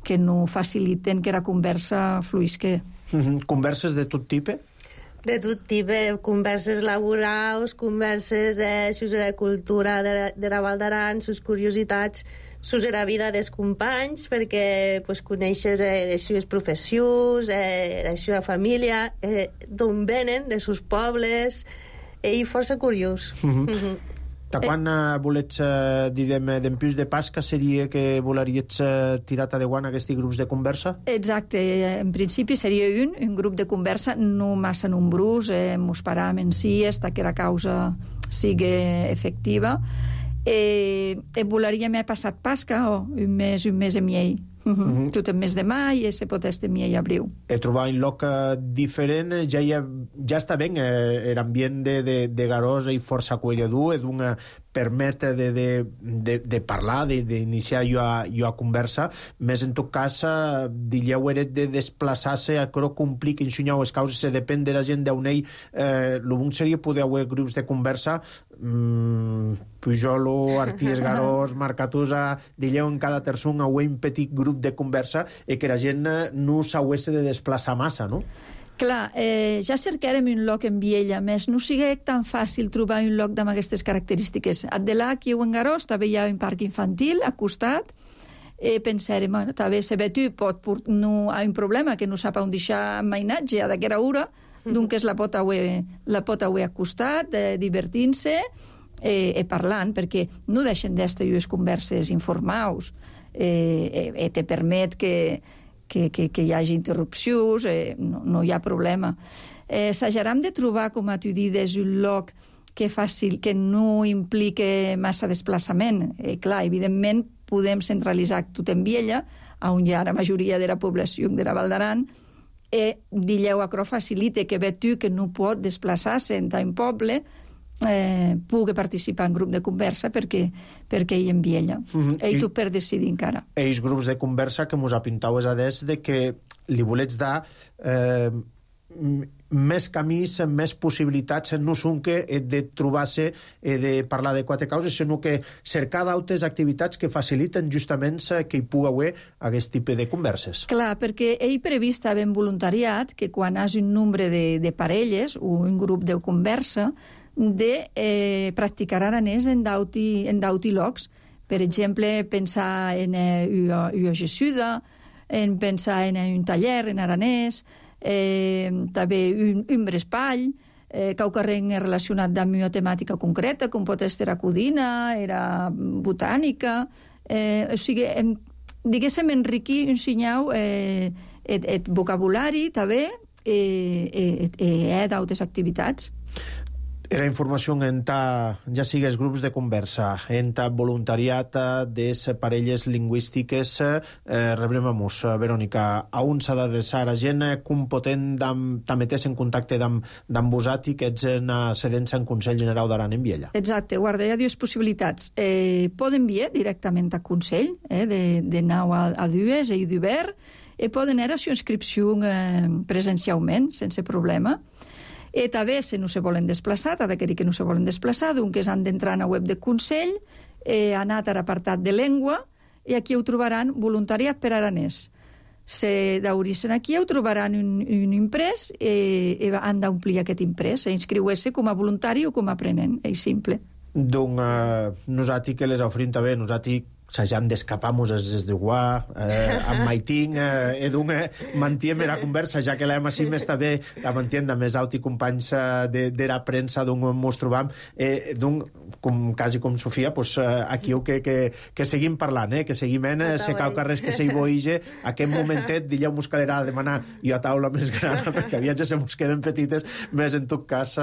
que no faciliten que la conversa fluïsca. Uh-huh. Converses de tot tipus? De tot tipus, converses laborals, converses eh, sobre la cultura de, de la Val d'Aran, sus curiositats, sobre la vida dels companys, perquè pues, coneixes eh, les seves professions, eh, la seva família, eh, d'on venen, de sus pobles, eh, i força curiós. Uh-huh. Uh-huh. De quan eh, volets eh, dir d'empius de Pasca seria que volaries eh, tirar a de guant aquests grups de conversa? Exacte, en principi seria un, un grup de conversa no massa nombrós, eh, mos param en si, hasta que la causa sigui efectiva. Eh, eh, volaríem he passat Pasca o un mes, un mes i miei. Uh-huh. Uh-huh. Tot el mes de mai i se pot estar miei abril. He trobat un lloc diferent, ja, ha, ja està ben, eh, l'ambient de, de, de Garós i força acolledor, és una permet de, de, de, de parlar, d'iniciar jo a, jo a conversa, més en tot cas, eh, dilleu eret de desplaçar-se, a que compliqui ensenyar les causes, se depèn de la gent d'on ell, eh, el bon seria poder haver grups de conversa, mm, Pujolo, Arties, Garós, Marcatusa, dilleu en cada terçon a un petit grup de conversa i que la gent no s'hagués de desplaçar massa, no? Clar, eh, ja cercarem un lloc en Viella, més no sigui tan fàcil trobar un lloc amb aquestes característiques. A de là, aquí en Garós, també hi ha un parc infantil al costat, eh, pensarem, bueno, també se ve tu, pot, no hi ha un problema, que no sap on deixar mainatge a d'aquera hora, doncs la pot haver, la pot haver al costat, eh, divertint-se, eh, eh, parlant, perquè no deixen d'estar unes converses informaus, eh, eh, te permet que Que, que, que hi hagi interrupcions, eh, no, no hi ha problema. Eh, S'ajaram de trobar, com a tu dius, un lloc que, fàcil, que no implique massa desplaçament. Eh, clar, evidentment, podem centralitzar tot en Viella, on hi ha la majoria de la població de la Val d'Aran, i dilleu acrò facilite que ve tu que no pot desplaçar-se en un poble, eh, pugui participar en grup de conversa perquè, perquè ell en Viella. Mm-hmm. Ell tu per decidir encara. Ells grups de conversa que mos apintau és a des de que li volets dar eh, més camins, més possibilitats, no són que de trobar-se i de parlar de quatre causes, sinó que cercar d'altres activitats que faciliten justament que hi pugui haver aquest tipus de converses. Clar, perquè ell previst en voluntariat que quan hi hagi un nombre de, de parelles o un grup de conversa de eh, practicar aranès en d'auti en d'auti llocs. Per exemple, pensar en una, una gessuda, en pensar en un taller en aranès, eh, també un, un brespall, eh, qualque relacionat amb una temàtica concreta, com pot ser la codina, era botànica, eh, o sigui, em, diguéssim, enriquir un senyal eh, et, et vocabulari, també, eh, eh, eh, d'altres activitats. Era informació en ta, ja sigues grups de conversa, en ta voluntariat de parelles lingüístiques, eh, rebrem-nos, Verònica, a on s'ha d'adreçar a gent, com potent t'ametés en contacte amb vosaltres, que ets sedents en Consell General d'Aran en Viella. Exacte, guarda, hi ha dues possibilitats. Eh, poden enviar directament al Consell, eh, de, de nou a, a dues, i d'obert, i poden anar a la inscripció eh, presencialment, sense problema. E també, si no se volen desplaçar, ha de dir que no se volen desplaçar, doncs han d'entrar a la web del Consell, eh, anar a l'apartat de llengua, i aquí ho trobaran voluntariat per aranès. Se d'origen aquí ho trobaran un, un imprès i, i han d'omplir aquest imprès, i inscriure-se com a voluntari o com a aprenent, és simple. Donc, eh, nosaltres que les oferim també, nosaltres s'hagem d'escapar-nos des de Guà, eh, amb Maiting, eh, e donc eh, mantiem la conversa, ja que l'hem així més també, la mantiem de més alt i companys eh, de, de la premsa, donc mos trobam, eh, donc, com, quasi com Sofia, pues, eh, aquí que, que, que seguim parlant, eh, que seguim en, eh, se cau carres que se hi boige, aquest momentet, dillau mos calerà a demanar i a taula més gran, perquè viatges se mos queden petites, més en tot cas,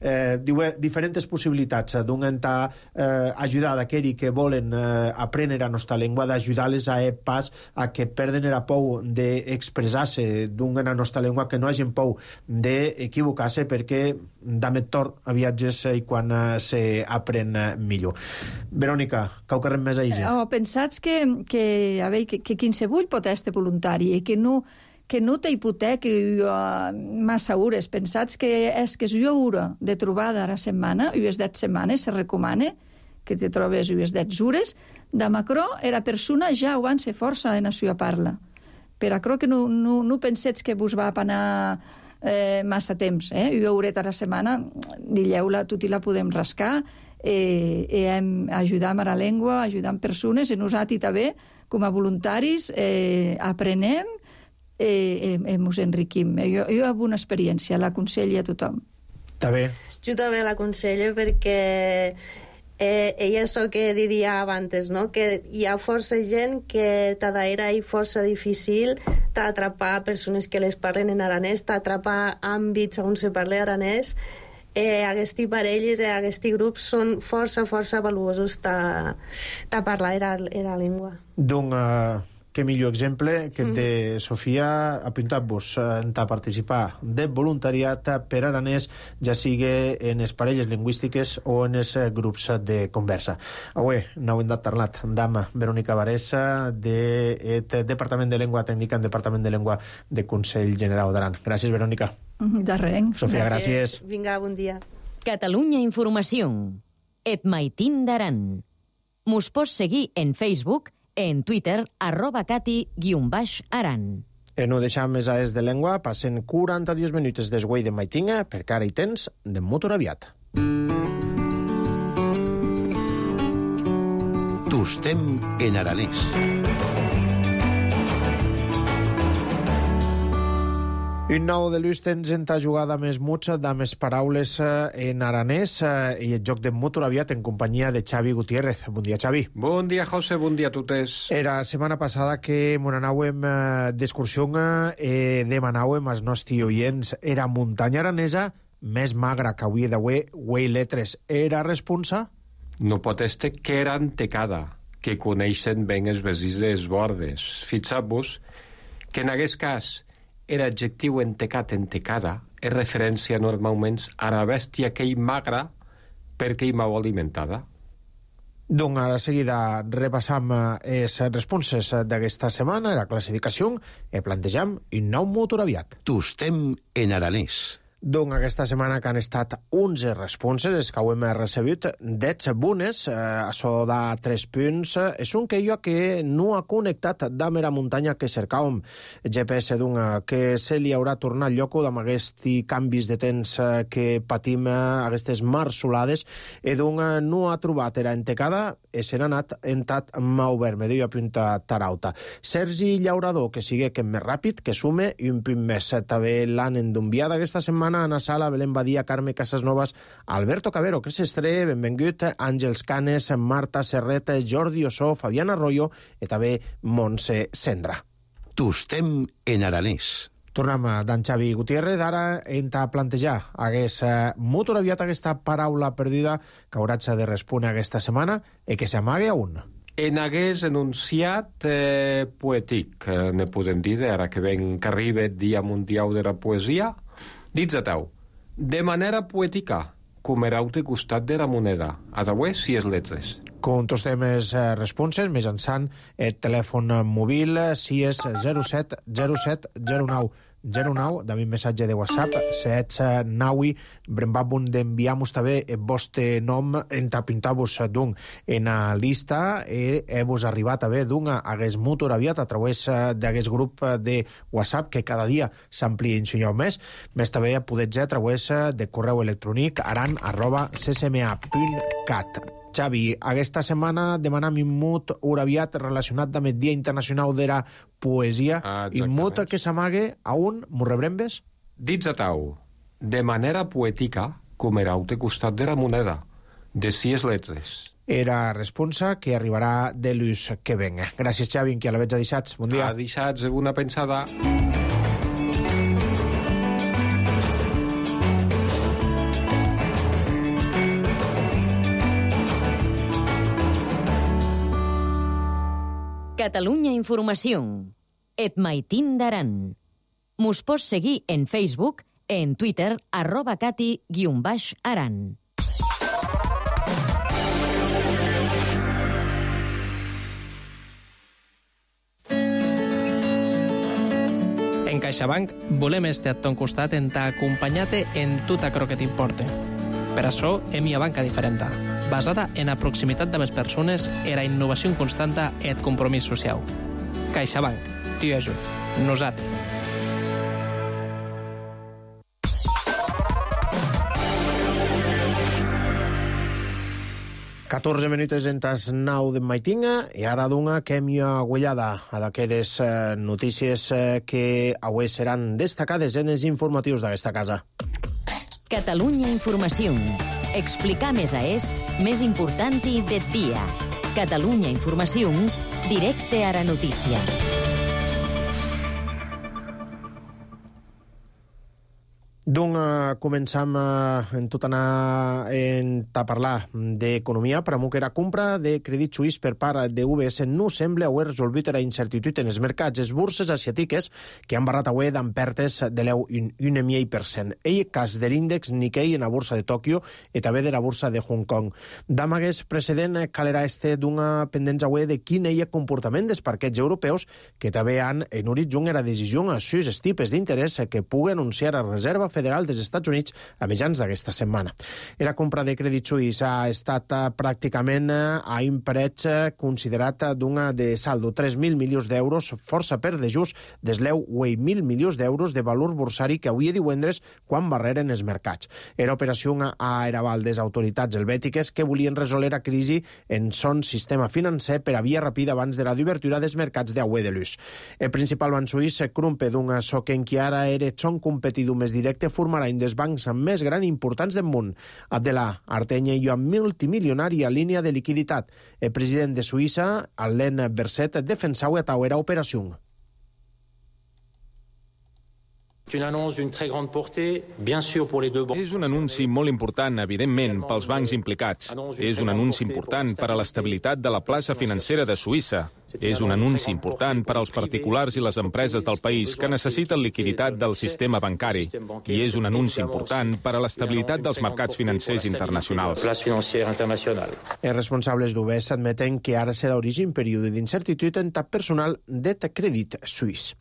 eh, diu, diferents possibilitats, donc, en ta, eh, ajudar d'aquells que volen eh, aprendre a nostra llengua, d'ajudar-les a pas a que perden la por d'expressar-se d'un en la nostra llengua, que no hagin por d'equivocar-se, perquè damet tort a viatges i quan se aprèn millor. Verònica, cau carrem més a Ise? Oh, pensats que, que, a veure, que, que quinsevull pot estar voluntari i que no que no té hipotequi uh, massa hores. Pensats que és que és una hora de trobada a la setmana, i les deu setmanes se recomana que te trobes les deu hores, de macro era persona ja ho van ser força en la seva parla. Per acro que no, no, no pensets que vos va anar eh, massa temps. Eh? Una horeta a la setmana, dilleu-la, tot i la podem rascar, eh, eh, hem ajudat a la llengua, ajudant persones, i nosaltres també, com a voluntaris, eh, aprenem, eh, eh, mos enriquim. Jo, jo he una experiència, l'aconsello a tothom. També. Jo també l'aconsello perquè eh, ella és el que diria abans, no? Que hi ha força gent que t'adaera i força difícil t'atrapar persones que les parlen en aranès, t'atrapar àmbits on se parla aranès. Eh, aquests parelles, eh, aquests grups són força, força valuosos ta, ta parlar era, era llengua. Donc, uh... que millor exemple que de mm. Sofia apuntat-vos a participar de voluntariat per aranès, ja sigui en les parelles lingüístiques o en els grups de conversa. Avui n'heu hem parlat amb Verònica Varesa del Departament de Llengua Tècnica en Departament de Llengua de Consell Generau d'Aran. Gràcies, Verònica. De res. Sofia, gràcies. gràcies. Vinga, bon dia. Catalunya Informació. Et Maitín d'Aran. Mos pots seguir en Facebook, en Twitter, arroba cati guion baix aran. E no deixam més a es de llengua, passen quaranta-dos minuts desguai de Maitinga, perquè ara hi tens de motor aviat. Tostem en aranès. Un nou de l'ús tens en ta jugada més mucha, de més paraules en aranès i el joc de motor aviat en companyia de Xavi Gutiérrez. Bon dia, Xavi. Bon dia, José, bon dia a totes. Era setmana passada que mon anàuem d'excursió e demanàuem als nostres oients era muntanya aranesa més magra que avui d'avui, uei letres. Era responsa? No pot estar que era antecada, que coneixen ben els vesins dels bordes. Fixeu-vos que en aquest cas era adjectiu entecat, entecada, és referència normalment a la bèstia que hi magra perquè hi mau alimentada. Doncs ara seguida repassam les responses d'aquesta setmana, la classificació, i plantejam un nou motor aviat. Tostem en aranès. Doncs aquesta setmana que han estat onze responses, és que ho hem recebut deu bones, eh, això de tres punts. És un que jo que no ha connectat amb la muntanya que cercàvem. G P S d'un que se li haurà tornat lloc amb aquests canvis de temps que patim, aquestes marsolades, i d'un no ha trobat era entecada i se n'ha anat entat mau vermell i apunta tarauta. Sergi Llaurador, que sigue que més ràpid, que sume i un punt més. També l'han endonviat aquesta setmana Ana Sala, Belén Badia, Carme Casasnovas, Alberto Cabero, que s'estre, benvingut, Àngels Canes, Marta Serret, Jordi Ossó, Fabián Arroyo i també Montse Sendra. Tostem en aranès. Tornem d'en Xavi Gutiérrez. Ara hem de plantejar hagués motor aviat aquesta paraula perduda que hauràs de respondre aquesta setmana i que s'amague a un. En hagués enunciat eh, poètic, eh, ne podem dir, ara que ven que arriba el Dia Mundial de la Poesia, dits a teu, de manera poètica, com erau de costat de la moneda, a d'avui si és letres. Contestem les responses mitjançant el telèfon mòbil, si és zero set zero set zero nou zero nou, de mi missatge de WhatsApp, setz naui, brembabun d'enviar-vos també el vostre nom, entapintar-vos d'un en a lista, e he-vos arribat també d'un hagués motor aviat a través d'aquest grup de WhatsApp que cada dia s'amplia un senyor més, més també podeu a través de correu electrònic aran arroba c s m a punt cat. Xavi, aquesta setmana demanam un mut aviat relacionat amb el Dia Internacional de la Poesia. Ah, I mut que s'amague a un, m'ho rebrembes? Dits a tau, de manera poètica, com era al costat de la moneda, de sis letres. Era responsa que arribarà de l'ús que venga. Gràcies, Xavi, que a la veig a dissats. Bon dia. A dissats, una pensada. Catalunya Informació. Et maitin d'aran. Mos pots seguir en Facebook, en Twitter, arroba cati guion baix aran. En CaixaBank volem estar a ton costat en t'acompanyar-te en tot aquello que t'importe. Per això hem una banca diferent, basada en la proximitat de les persones, en la innovació constanta i el compromís social. CaixaBank, t'hi ajut. Nosaltres. catorze minuts en tas nou de maitinga i ara d'una que hem aguellada a d'aquelles eh, notícies eh, que avui seran destacades en els informatius d'aquesta casa. Catalunya Informació. Explicar més a és més important i de dia. Catalunya Informació, directe a la notícia. Doncs uh, començam uh, en tot anar en a parlar d'economia, per amunt que la compra de crèdit suís per part de U B S no sembla haver resolgut la incertitude en els mercats. Les borses asiàtiques que han barrat avui d'en pertes de l'eu un coma cinc per cent. El cas de l'índex Nikkei en la borsa de Tòquio i també de la borsa de Hong Kong. D'amagues precedent calerà este d'una pendència avui de quin és el comportament dels parquets europeus que també han en horitzó la decisió a sus tipus d'interès que pugui anunciar a Reserva Federal dels Estats Units a mitjans d'aquesta setmana. La compra de crèdit suís ha estat pràcticament a un preu considerat d'una de saldo, tres mil milions d'euros, força per de just des l'eu vuit mil milions d'euros de valor borsari que avui divendres quan barreren els mercats. Era operació a eraval des autoritats helvètiques que volien resoldre la crisi en son sistema financer per a via ràpida abans de la d'obertura dels mercats d'avui de l'ús. El principal banc suís, Krumpe, d'un soc en qui ara era son competidor més directe, formarà un dels bancs més grans i importants del món. Abdelà Artenya i amb multimilionari a línia de liquiditat. El president de Suïssa, Alain Berset, defensava a tauera operació. És un anunci molt important, evidentment, pels bancs implicats. És un anunci important per a l'estabilitat de la plaça financera de Suïssa. És un anunci important per als particulars i les empreses del país que necessiten liquiditat del sistema bancari. I és un anunci important per a l'estabilitat dels mercats financers internacionals. Els responsables d'U B S admeten que ara serà d'origen període d'incertitude en tap personal de crèdit suís.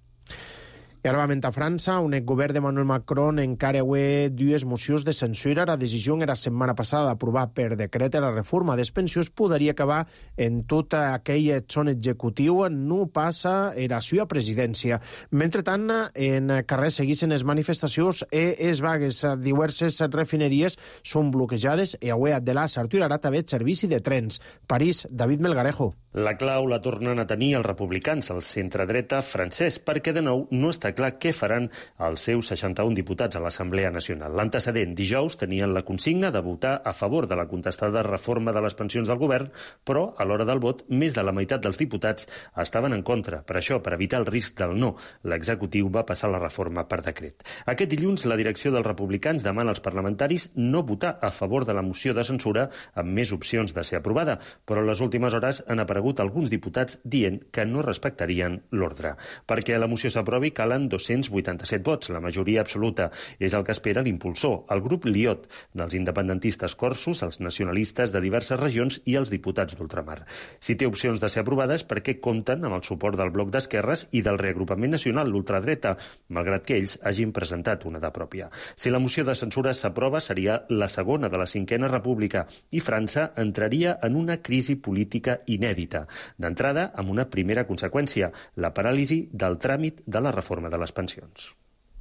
I ara vam a França, on el govern de Emmanuel Macron encara avui dues mocions de censura. La decisió era la setmana passada d'aprovar per decret la reforma dels pensions podria acabar en tot aquell son executiu, no passa era la seva presidència. Mentrestant, en carrer seguissin les manifestacions i les vagues a diverses refineries són bloquejades i avui de la s'aturarà també el servici de trens. París, David Melgarejo. La clau la tornen a tenir els republicans, el centre-dreta francès, perquè de nou no està clar què faran els seus seixanta-un diputats a l'Assemblea Nacional. L'antecedent, dijous, tenien la consigna de votar a favor de la contestada reforma de les pensions del govern, però a l'hora del vot, més de la meitat dels diputats estaven en contra. Per això, per evitar el risc del no, l'executiu va passar la reforma per decret. Aquest dilluns, la direcció dels republicans demana als parlamentaris no votar a favor de la moció de censura amb més opcions de ser aprovada, però en les últimes hores han aparegut alguns diputats dient que no respectarien l'ordre. Perquè la moció s'aprovi calen amb dos-cents vuitanta-set vots, la majoria absoluta. És el que espera l'impulsor, el grup Liot, dels independentistes corsos, els nacionalistes de diverses regions i els diputats d'ultramar. Si té opcions de ser aprovada és perquè compten amb el suport del Bloc d'Esquerres i del Reagrupament Nacional, l'ultradreta, malgrat que ells hagin presentat una de pròpia. Si la moció de censura s'aprova, seria la segona de la cinquena república i França entraria en una crisi política inèdita. D'entrada, amb una primera conseqüència, la paràlisi del tràmit de la reforma de les pensions.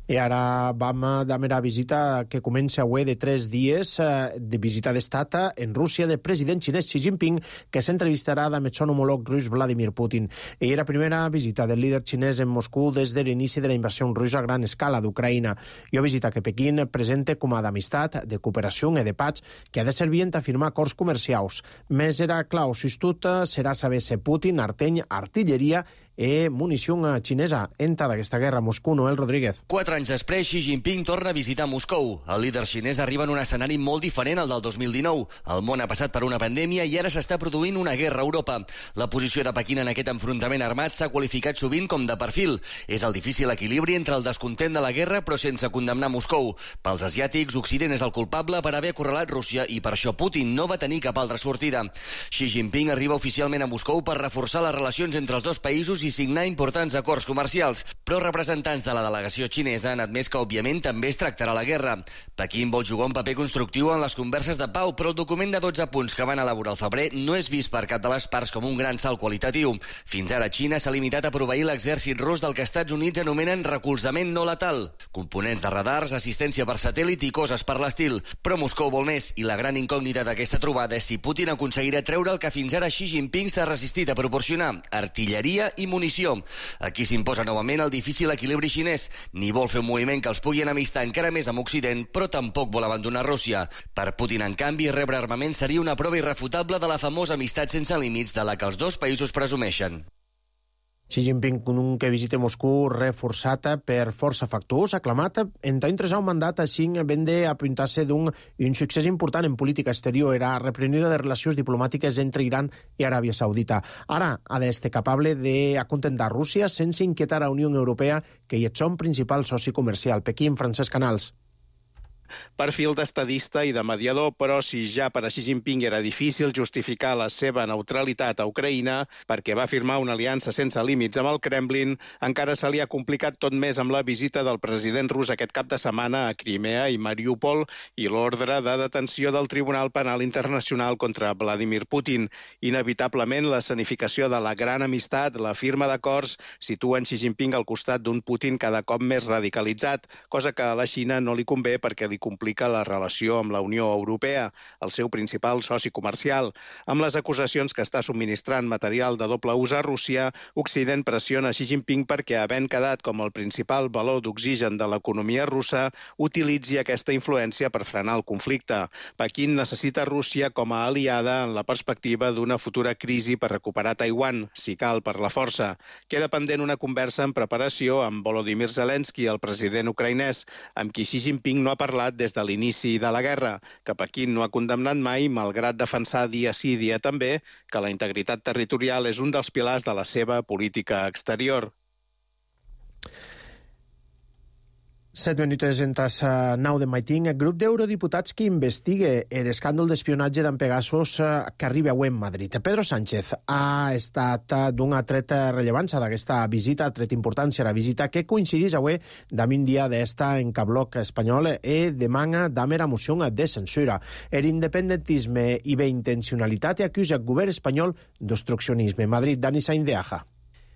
I ara vam de mera visita que comença avui de tres dies de visita d'estat en Rússia del president xinès Xi Jinping, que s'entrevistarà amb el son homòleg rus Vladimir Putin. I era primera visita del líder xinès en Moscou des de l'inici de la invasió russa a gran escala d'Ucraïna. I una visita que Pequín presenta com a d'amistat, de cooperació i de paz, que ha de servir a firmar acords comercials. Més era clau, si tot serà saber si Putin arteny artilleria i munició xinesa. Entra d'aquesta guerra a Moscou, Noel Rodríguez. Quatre anys després, Xi Jinping torna a visitar Moscou. El líder xinès arriba en un escenari molt diferent al del dos mil dinou. El món ha passat per una pandèmia i ara s'està produint una guerra a Europa. La posició de Pequín en aquest enfrontament armat s'ha qualificat sovint com de perfil. És el difícil equilibri entre el descontent de la guerra però sense condemnar Moscou. Pels asiàtics, Occident és el culpable per haver acorralat Rússia i per això Putin no va tenir cap altra sortida. Xi Jinping arriba oficialment a Moscou per reforçar les relacions entre els dos països i signar importants acords comercials, però representants de la delegació xinesa han admès que, òbviament, també es tractarà la guerra. Pequín vol jugar un paper constructiu en les converses de pau, però el document de dotze punts que van elaborar al febrer no és vist per cap de les parts com un gran salt qualitatiu. Fins ara, Xina s'ha limitat a proveir l'exèrcit rus del que Estats Units anomenen recolzament no letal. Components de radars, assistència per satèl·lit i coses per l'estil. Però Moscou vol més, i la gran incògnita d'aquesta trobada és si Putin aconseguirà treure el que fins ara Xi Jinping s'ha resistit a proporcionar, artilleria i munició. Aquí s'imposa novament el difícil equilibri xinès. Ni vol fer un moviment que els pugui enemistar encara més amb Occident, però tampoc vol abandonar Rússia. Per Putin, en canvi, rebre armament seria una prova irrefutable de la famosa amistat sense límits de la que els dos països presumeixen. Xi Jinping, un que visita Moscou reforçat per força factors, aclamat en intressar un mandat així ben d'apuntar-se d'un un succés important en política exterior, era reprenida de relacions diplomàtiques entre Iran i Aràbia Saudita. Ara ha d'estar capable d'acontentar Rússia sense inquietar a Unió Europea, que hi és son principal soci comercial. Pequín, Francesc Canals. Perfil d'estadista i de mediador, però si ja per a Xi Jinping era difícil justificar la seva neutralitat a Ucraïna perquè va firmar una aliança sense límits amb el Kremlin, encara se li ha complicat tot més amb la visita del president rus aquest cap de setmana a Crimea i Mariúpol i l'ordre de detenció del Tribunal Penal Internacional contra Vladimir Putin. Inevitablement, l'escenificació de la gran amistat, la firma d'acords, situen Xi Jinping al costat d'un Putin cada cop més radicalitzat, cosa que a la Xina no li convé perquè li complica la relació amb la Unió Europea, el seu principal soci comercial. Amb les acusacions que està subministrant material de doble ús a Rússia, Occident pressiona Xi Jinping perquè, havent quedat com el principal valor d'oxigen de l'economia russa, utilitzi aquesta influència per frenar el conflicte. Pequín necessita Rússia com a aliada en la perspectiva d'una futura crisi per recuperar Taiwan, si cal per la força. Queda pendent una conversa en preparació amb Volodymyr Zelensky, el president ucraïnès, amb qui Xi Jinping no ha parlat des de l'inici de la guerra, que Pequín no ha condemnat mai, malgrat defensar dia sí dia també que la integritat territorial és un dels pilars de la seva política exterior. Set minuts en tassa nou de maitín. El grup d'eurodiputats que investiga l'escàndol d'espionatge d'en Pegasus que arriba avui en Madrid. Pedro Sánchez ha estat d'una treta rellevància d'aquesta visita, tret importància a la visita, que coincidís avui d'un dia d'esta en Cabloc espanyol i demana d'amera moció de censura. El independentisme i bé intencionalitat i acusa el govern espanyol d'obstruccionisme. Madrid, Dani Sainz de Aja.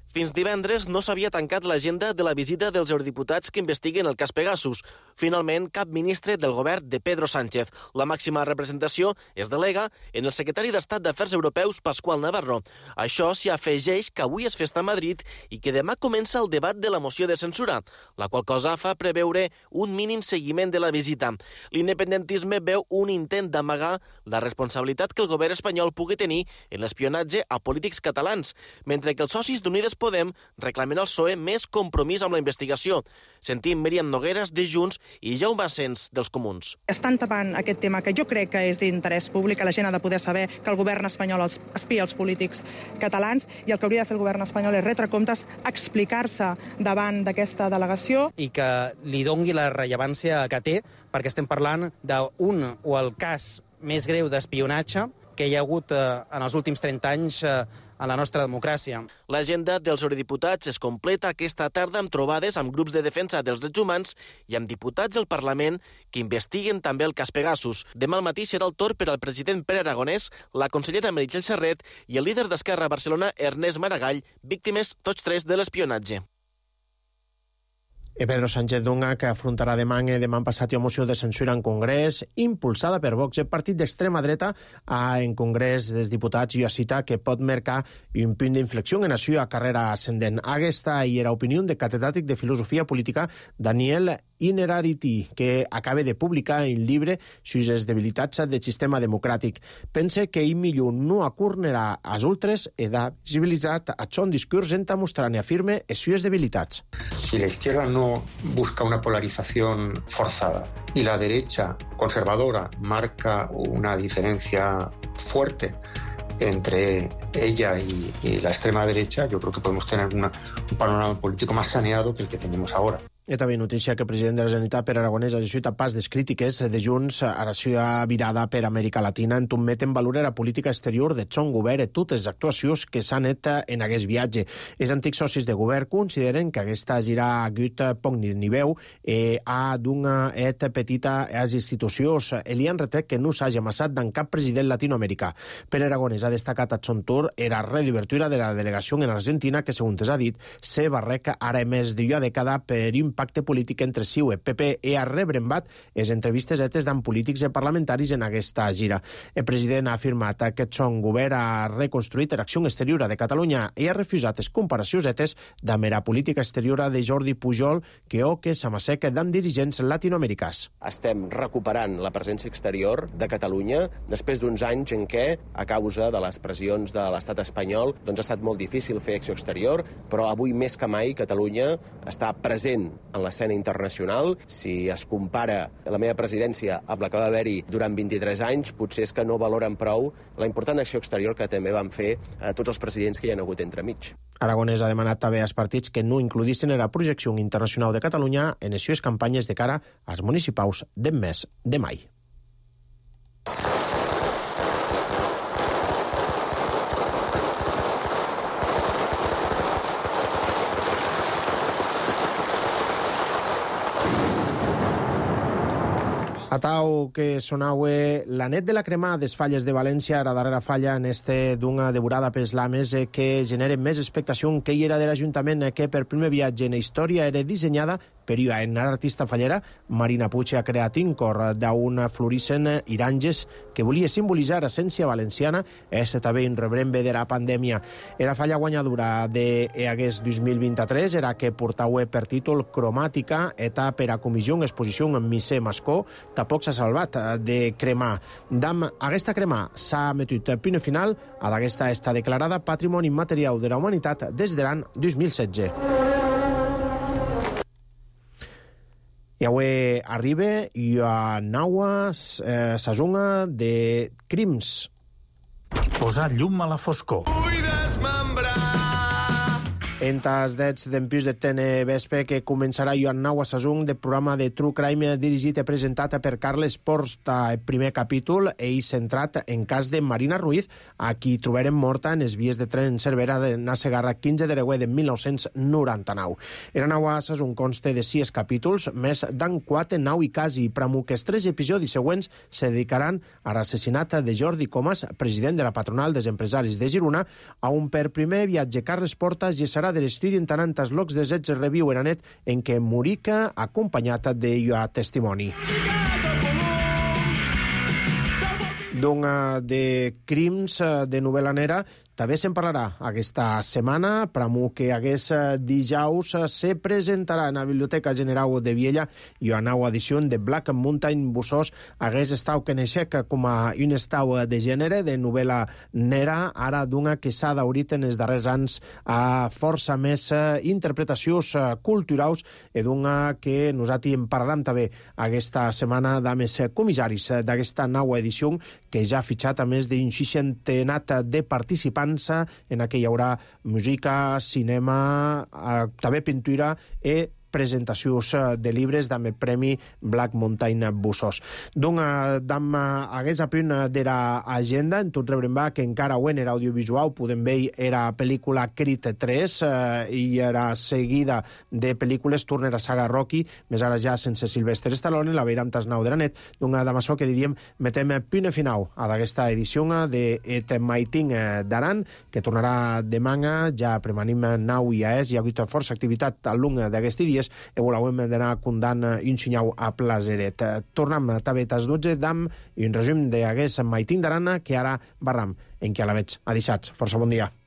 Fins divendres no s'havia tancat l'agenda de la visita dels eurodiputats que investiguen el cas Pegasus. Finalment, cap ministre del govern de Pedro Sánchez. La màxima representació es delega en el secretari d'Estat d'Afers Europeus, Pasqual Navarro. Això s'hi afegeix que avui és festa a Madrid i que demà comença el debat de la moció de censura, la qual cosa fa preveure un mínim seguiment de la visita. L'independentisme veu un intent d'amagar la responsabilitat que el govern espanyol pugui tenir en l'espionatge a polítics catalans, mentre que els socis d'Unides Podem reclamen al P S O E més compromís amb la investigació. Sentim Míriam Nogueras, de Junts, i Jaume Asens, dels Comuns. Estan tapant aquest tema que jo crec que és d'interès públic, que la gent ha de poder saber que el govern espanyol espia els polítics catalans, i el que hauria de fer el govern espanyol és retre comptes, explicar-se davant d'aquesta delegació. I que li dongui la rellevància que té, perquè estem parlant d'un o el cas més greu d'espionatge que hi ha hagut eh, en els últims trenta anys eh, a la nostra democràcia. L'agenda dels eurodiputats es completa aquesta tarda amb trobades amb grups de defensa dels drets humans i amb diputats del Parlament que investiguen també el cas Pegasus. Demà al matí serà el torn per al president Pere Aragonès, la consellera Meritxell Serret i el líder d'Esquerra a Barcelona, Ernest Maragall, víctimes tots tres de l'espionatge. E Pedro Sánchez Dunga, que afrontarà demà, demà passat una moció de censura en Congrés, impulsada per Vox, el partit d'extrema dreta, a, en Congrés dels Diputats, i a cita que pot marcar un punt d'inflexió en la seva carrera ascendent. Aquesta hi era opinió de catedràtic de filosofia política Daniel Innerarity, que acaba de publicar un llibre sobre les debilitats del sistema democràtic. Pense que ell millor no acornerà als ultres i ha visibilitzat a son discurs en mostrar i afirme les seves debilitats. Si la izquierda no busca una polarización forzada y la derecha conservadora marca una diferencia fuerte entre ella y, y la extrema derecha, yo creo que podemos tener una, un panorama político más saneado que el que tenemos ahora. I també notícia que el president de la Generalitat, Pere Aragonès, ha decidit a pas des crítiques de Junts a la seva virada per Amèrica Latina, en tot met en valor la política exterior de son govern i totes les actuacions que s'han fet en aquest viatge. Els antics socis de govern consideren que aquesta gira ha hagut poc ni veu i ha donat et petita a les institucions. Li han retret que no s'hagi amassat d'en cap president latinoamericà. Pere Aragonès ha destacat a son tour la reobertura de la delegació en Argentina, que, segons ha dit, se barreca ara més d'una dècada per un pacte polític entre C I U, P P i ha rebrembat les entrevistes etes d'en polítics i parlamentaris en aquesta gira. El president ha afirmat que son govern ha reconstruït l'acció exterior de Catalunya i ha refusat les comparacions etes de mera política exterior de Jordi Pujol que o que s'amassec d'en dirigents latinoamericans. Estem recuperant la presència exterior de Catalunya després d'uns anys en què, a causa de les pressions de l'estat espanyol, doncs ha estat molt difícil fer acció exterior, però avui més que mai Catalunya està present en l'escena internacional. Si es compara la meva presidència amb la que va haver-hi durant vint-i-tres anys, potser és que no valoren prou la important acció exterior que també van fer a tots els presidents que hi ha hagut entremig. Aragonès ha demanat també als partits que no includissin en la projecció internacional de Catalunya en les seves campanyes de cara als municipals del mes de mai. Atau que sonaue la net de la crema des falles de València, la darrera falla en este d'una devorada pels lames que genera més expectació que hi era de l'Ajuntament, que per primer viatge en la història era dissenyada per una artista fallera. Marina Puig ha creat un cor d'un florissent iranges que volia simbolitzar l'essència valenciana. És també un rebrembe de la pandèmia. La falla guanyadora d'aquest dos mil vint-i-tres era que portava per títol Cromàtica, eta per a comissió en exposició en Misser Mascó. Tampoc s'ha salvat de cremar. D'am aquesta crema s'ha metut punt final a d'aquesta està declarada Patrimoni Immaterial de la Humanitat des de l'any dos mil setze. I avui arriba i a Naua eh, Sasunga de Crims. Posar llum a la foscor. Vull desmembrar. Entas dets d'empús de Tene Vespe que començarà Joan Nau a Sasung de programa de True Crime dirigit i presentat per Carles Porta. El primer capítol ell centrat en cas de Marina Ruiz, a qui trobarem morta en les vies de tren en Cervera de Nasegarra quinze de Reguer de mil nou-cents noranta-nou. Era Nau a Sasung consta de sis capítols, més d'en quatre nau i quasi, pramo que els tres episodis següents se dedicaran a l'assassinat de Jordi Comas, president de la patronal dels empresaris de Girona, a un per primer viatge Carles Porta gesarà de l'estudi en tanantes locs de zets reviu en anet en què morica acompanyat de llua testimoni. Dona de crims de novel·la nera també se'n parlarà aquesta setmana, pramo que hagués dijous se presentarà en la Biblioteca General de Viella i una nova edició de Black Mountain Bussos hagués estau que neixec com a un estau de gènere, de novel·la nera, ara d'una que s'ha daurit en els darrers anys a força més interpretacions culturals i d'una que nosaltres en parlarem també aquesta setmana de més comissaris d'aquesta nova edició que ja ha fitxat a més d'un seixantenat de participants. En què hi haurà música, cinema, eh, també pintura i presentacions de llibres amb el Premi Black Mountain Bussos. Donc, dam hagués a punt de l'agenda, en tot rebrem que encara ho en era audiovisual, podem veure era pel·lícula Creed tres eh, i era seguida de pel·lícules Turner a saga Rocky, més ara ja sense Sylvester Stallone, la veiram tas nou de la net. Donc, amb això que diríem, metem punt final a d'aquesta edició de Et Maiting d'Aran, que tornarà demà, ja premanim nou i a és, hi ha hagut força activitat al long d'aquest dia i voleu d'anar condant un senyau a Plaseret. Tornem també a les dotze d'am i un resum d'aquest Maiting d'Arana que ara barram en què a la veig. Adixats. Força bon dia.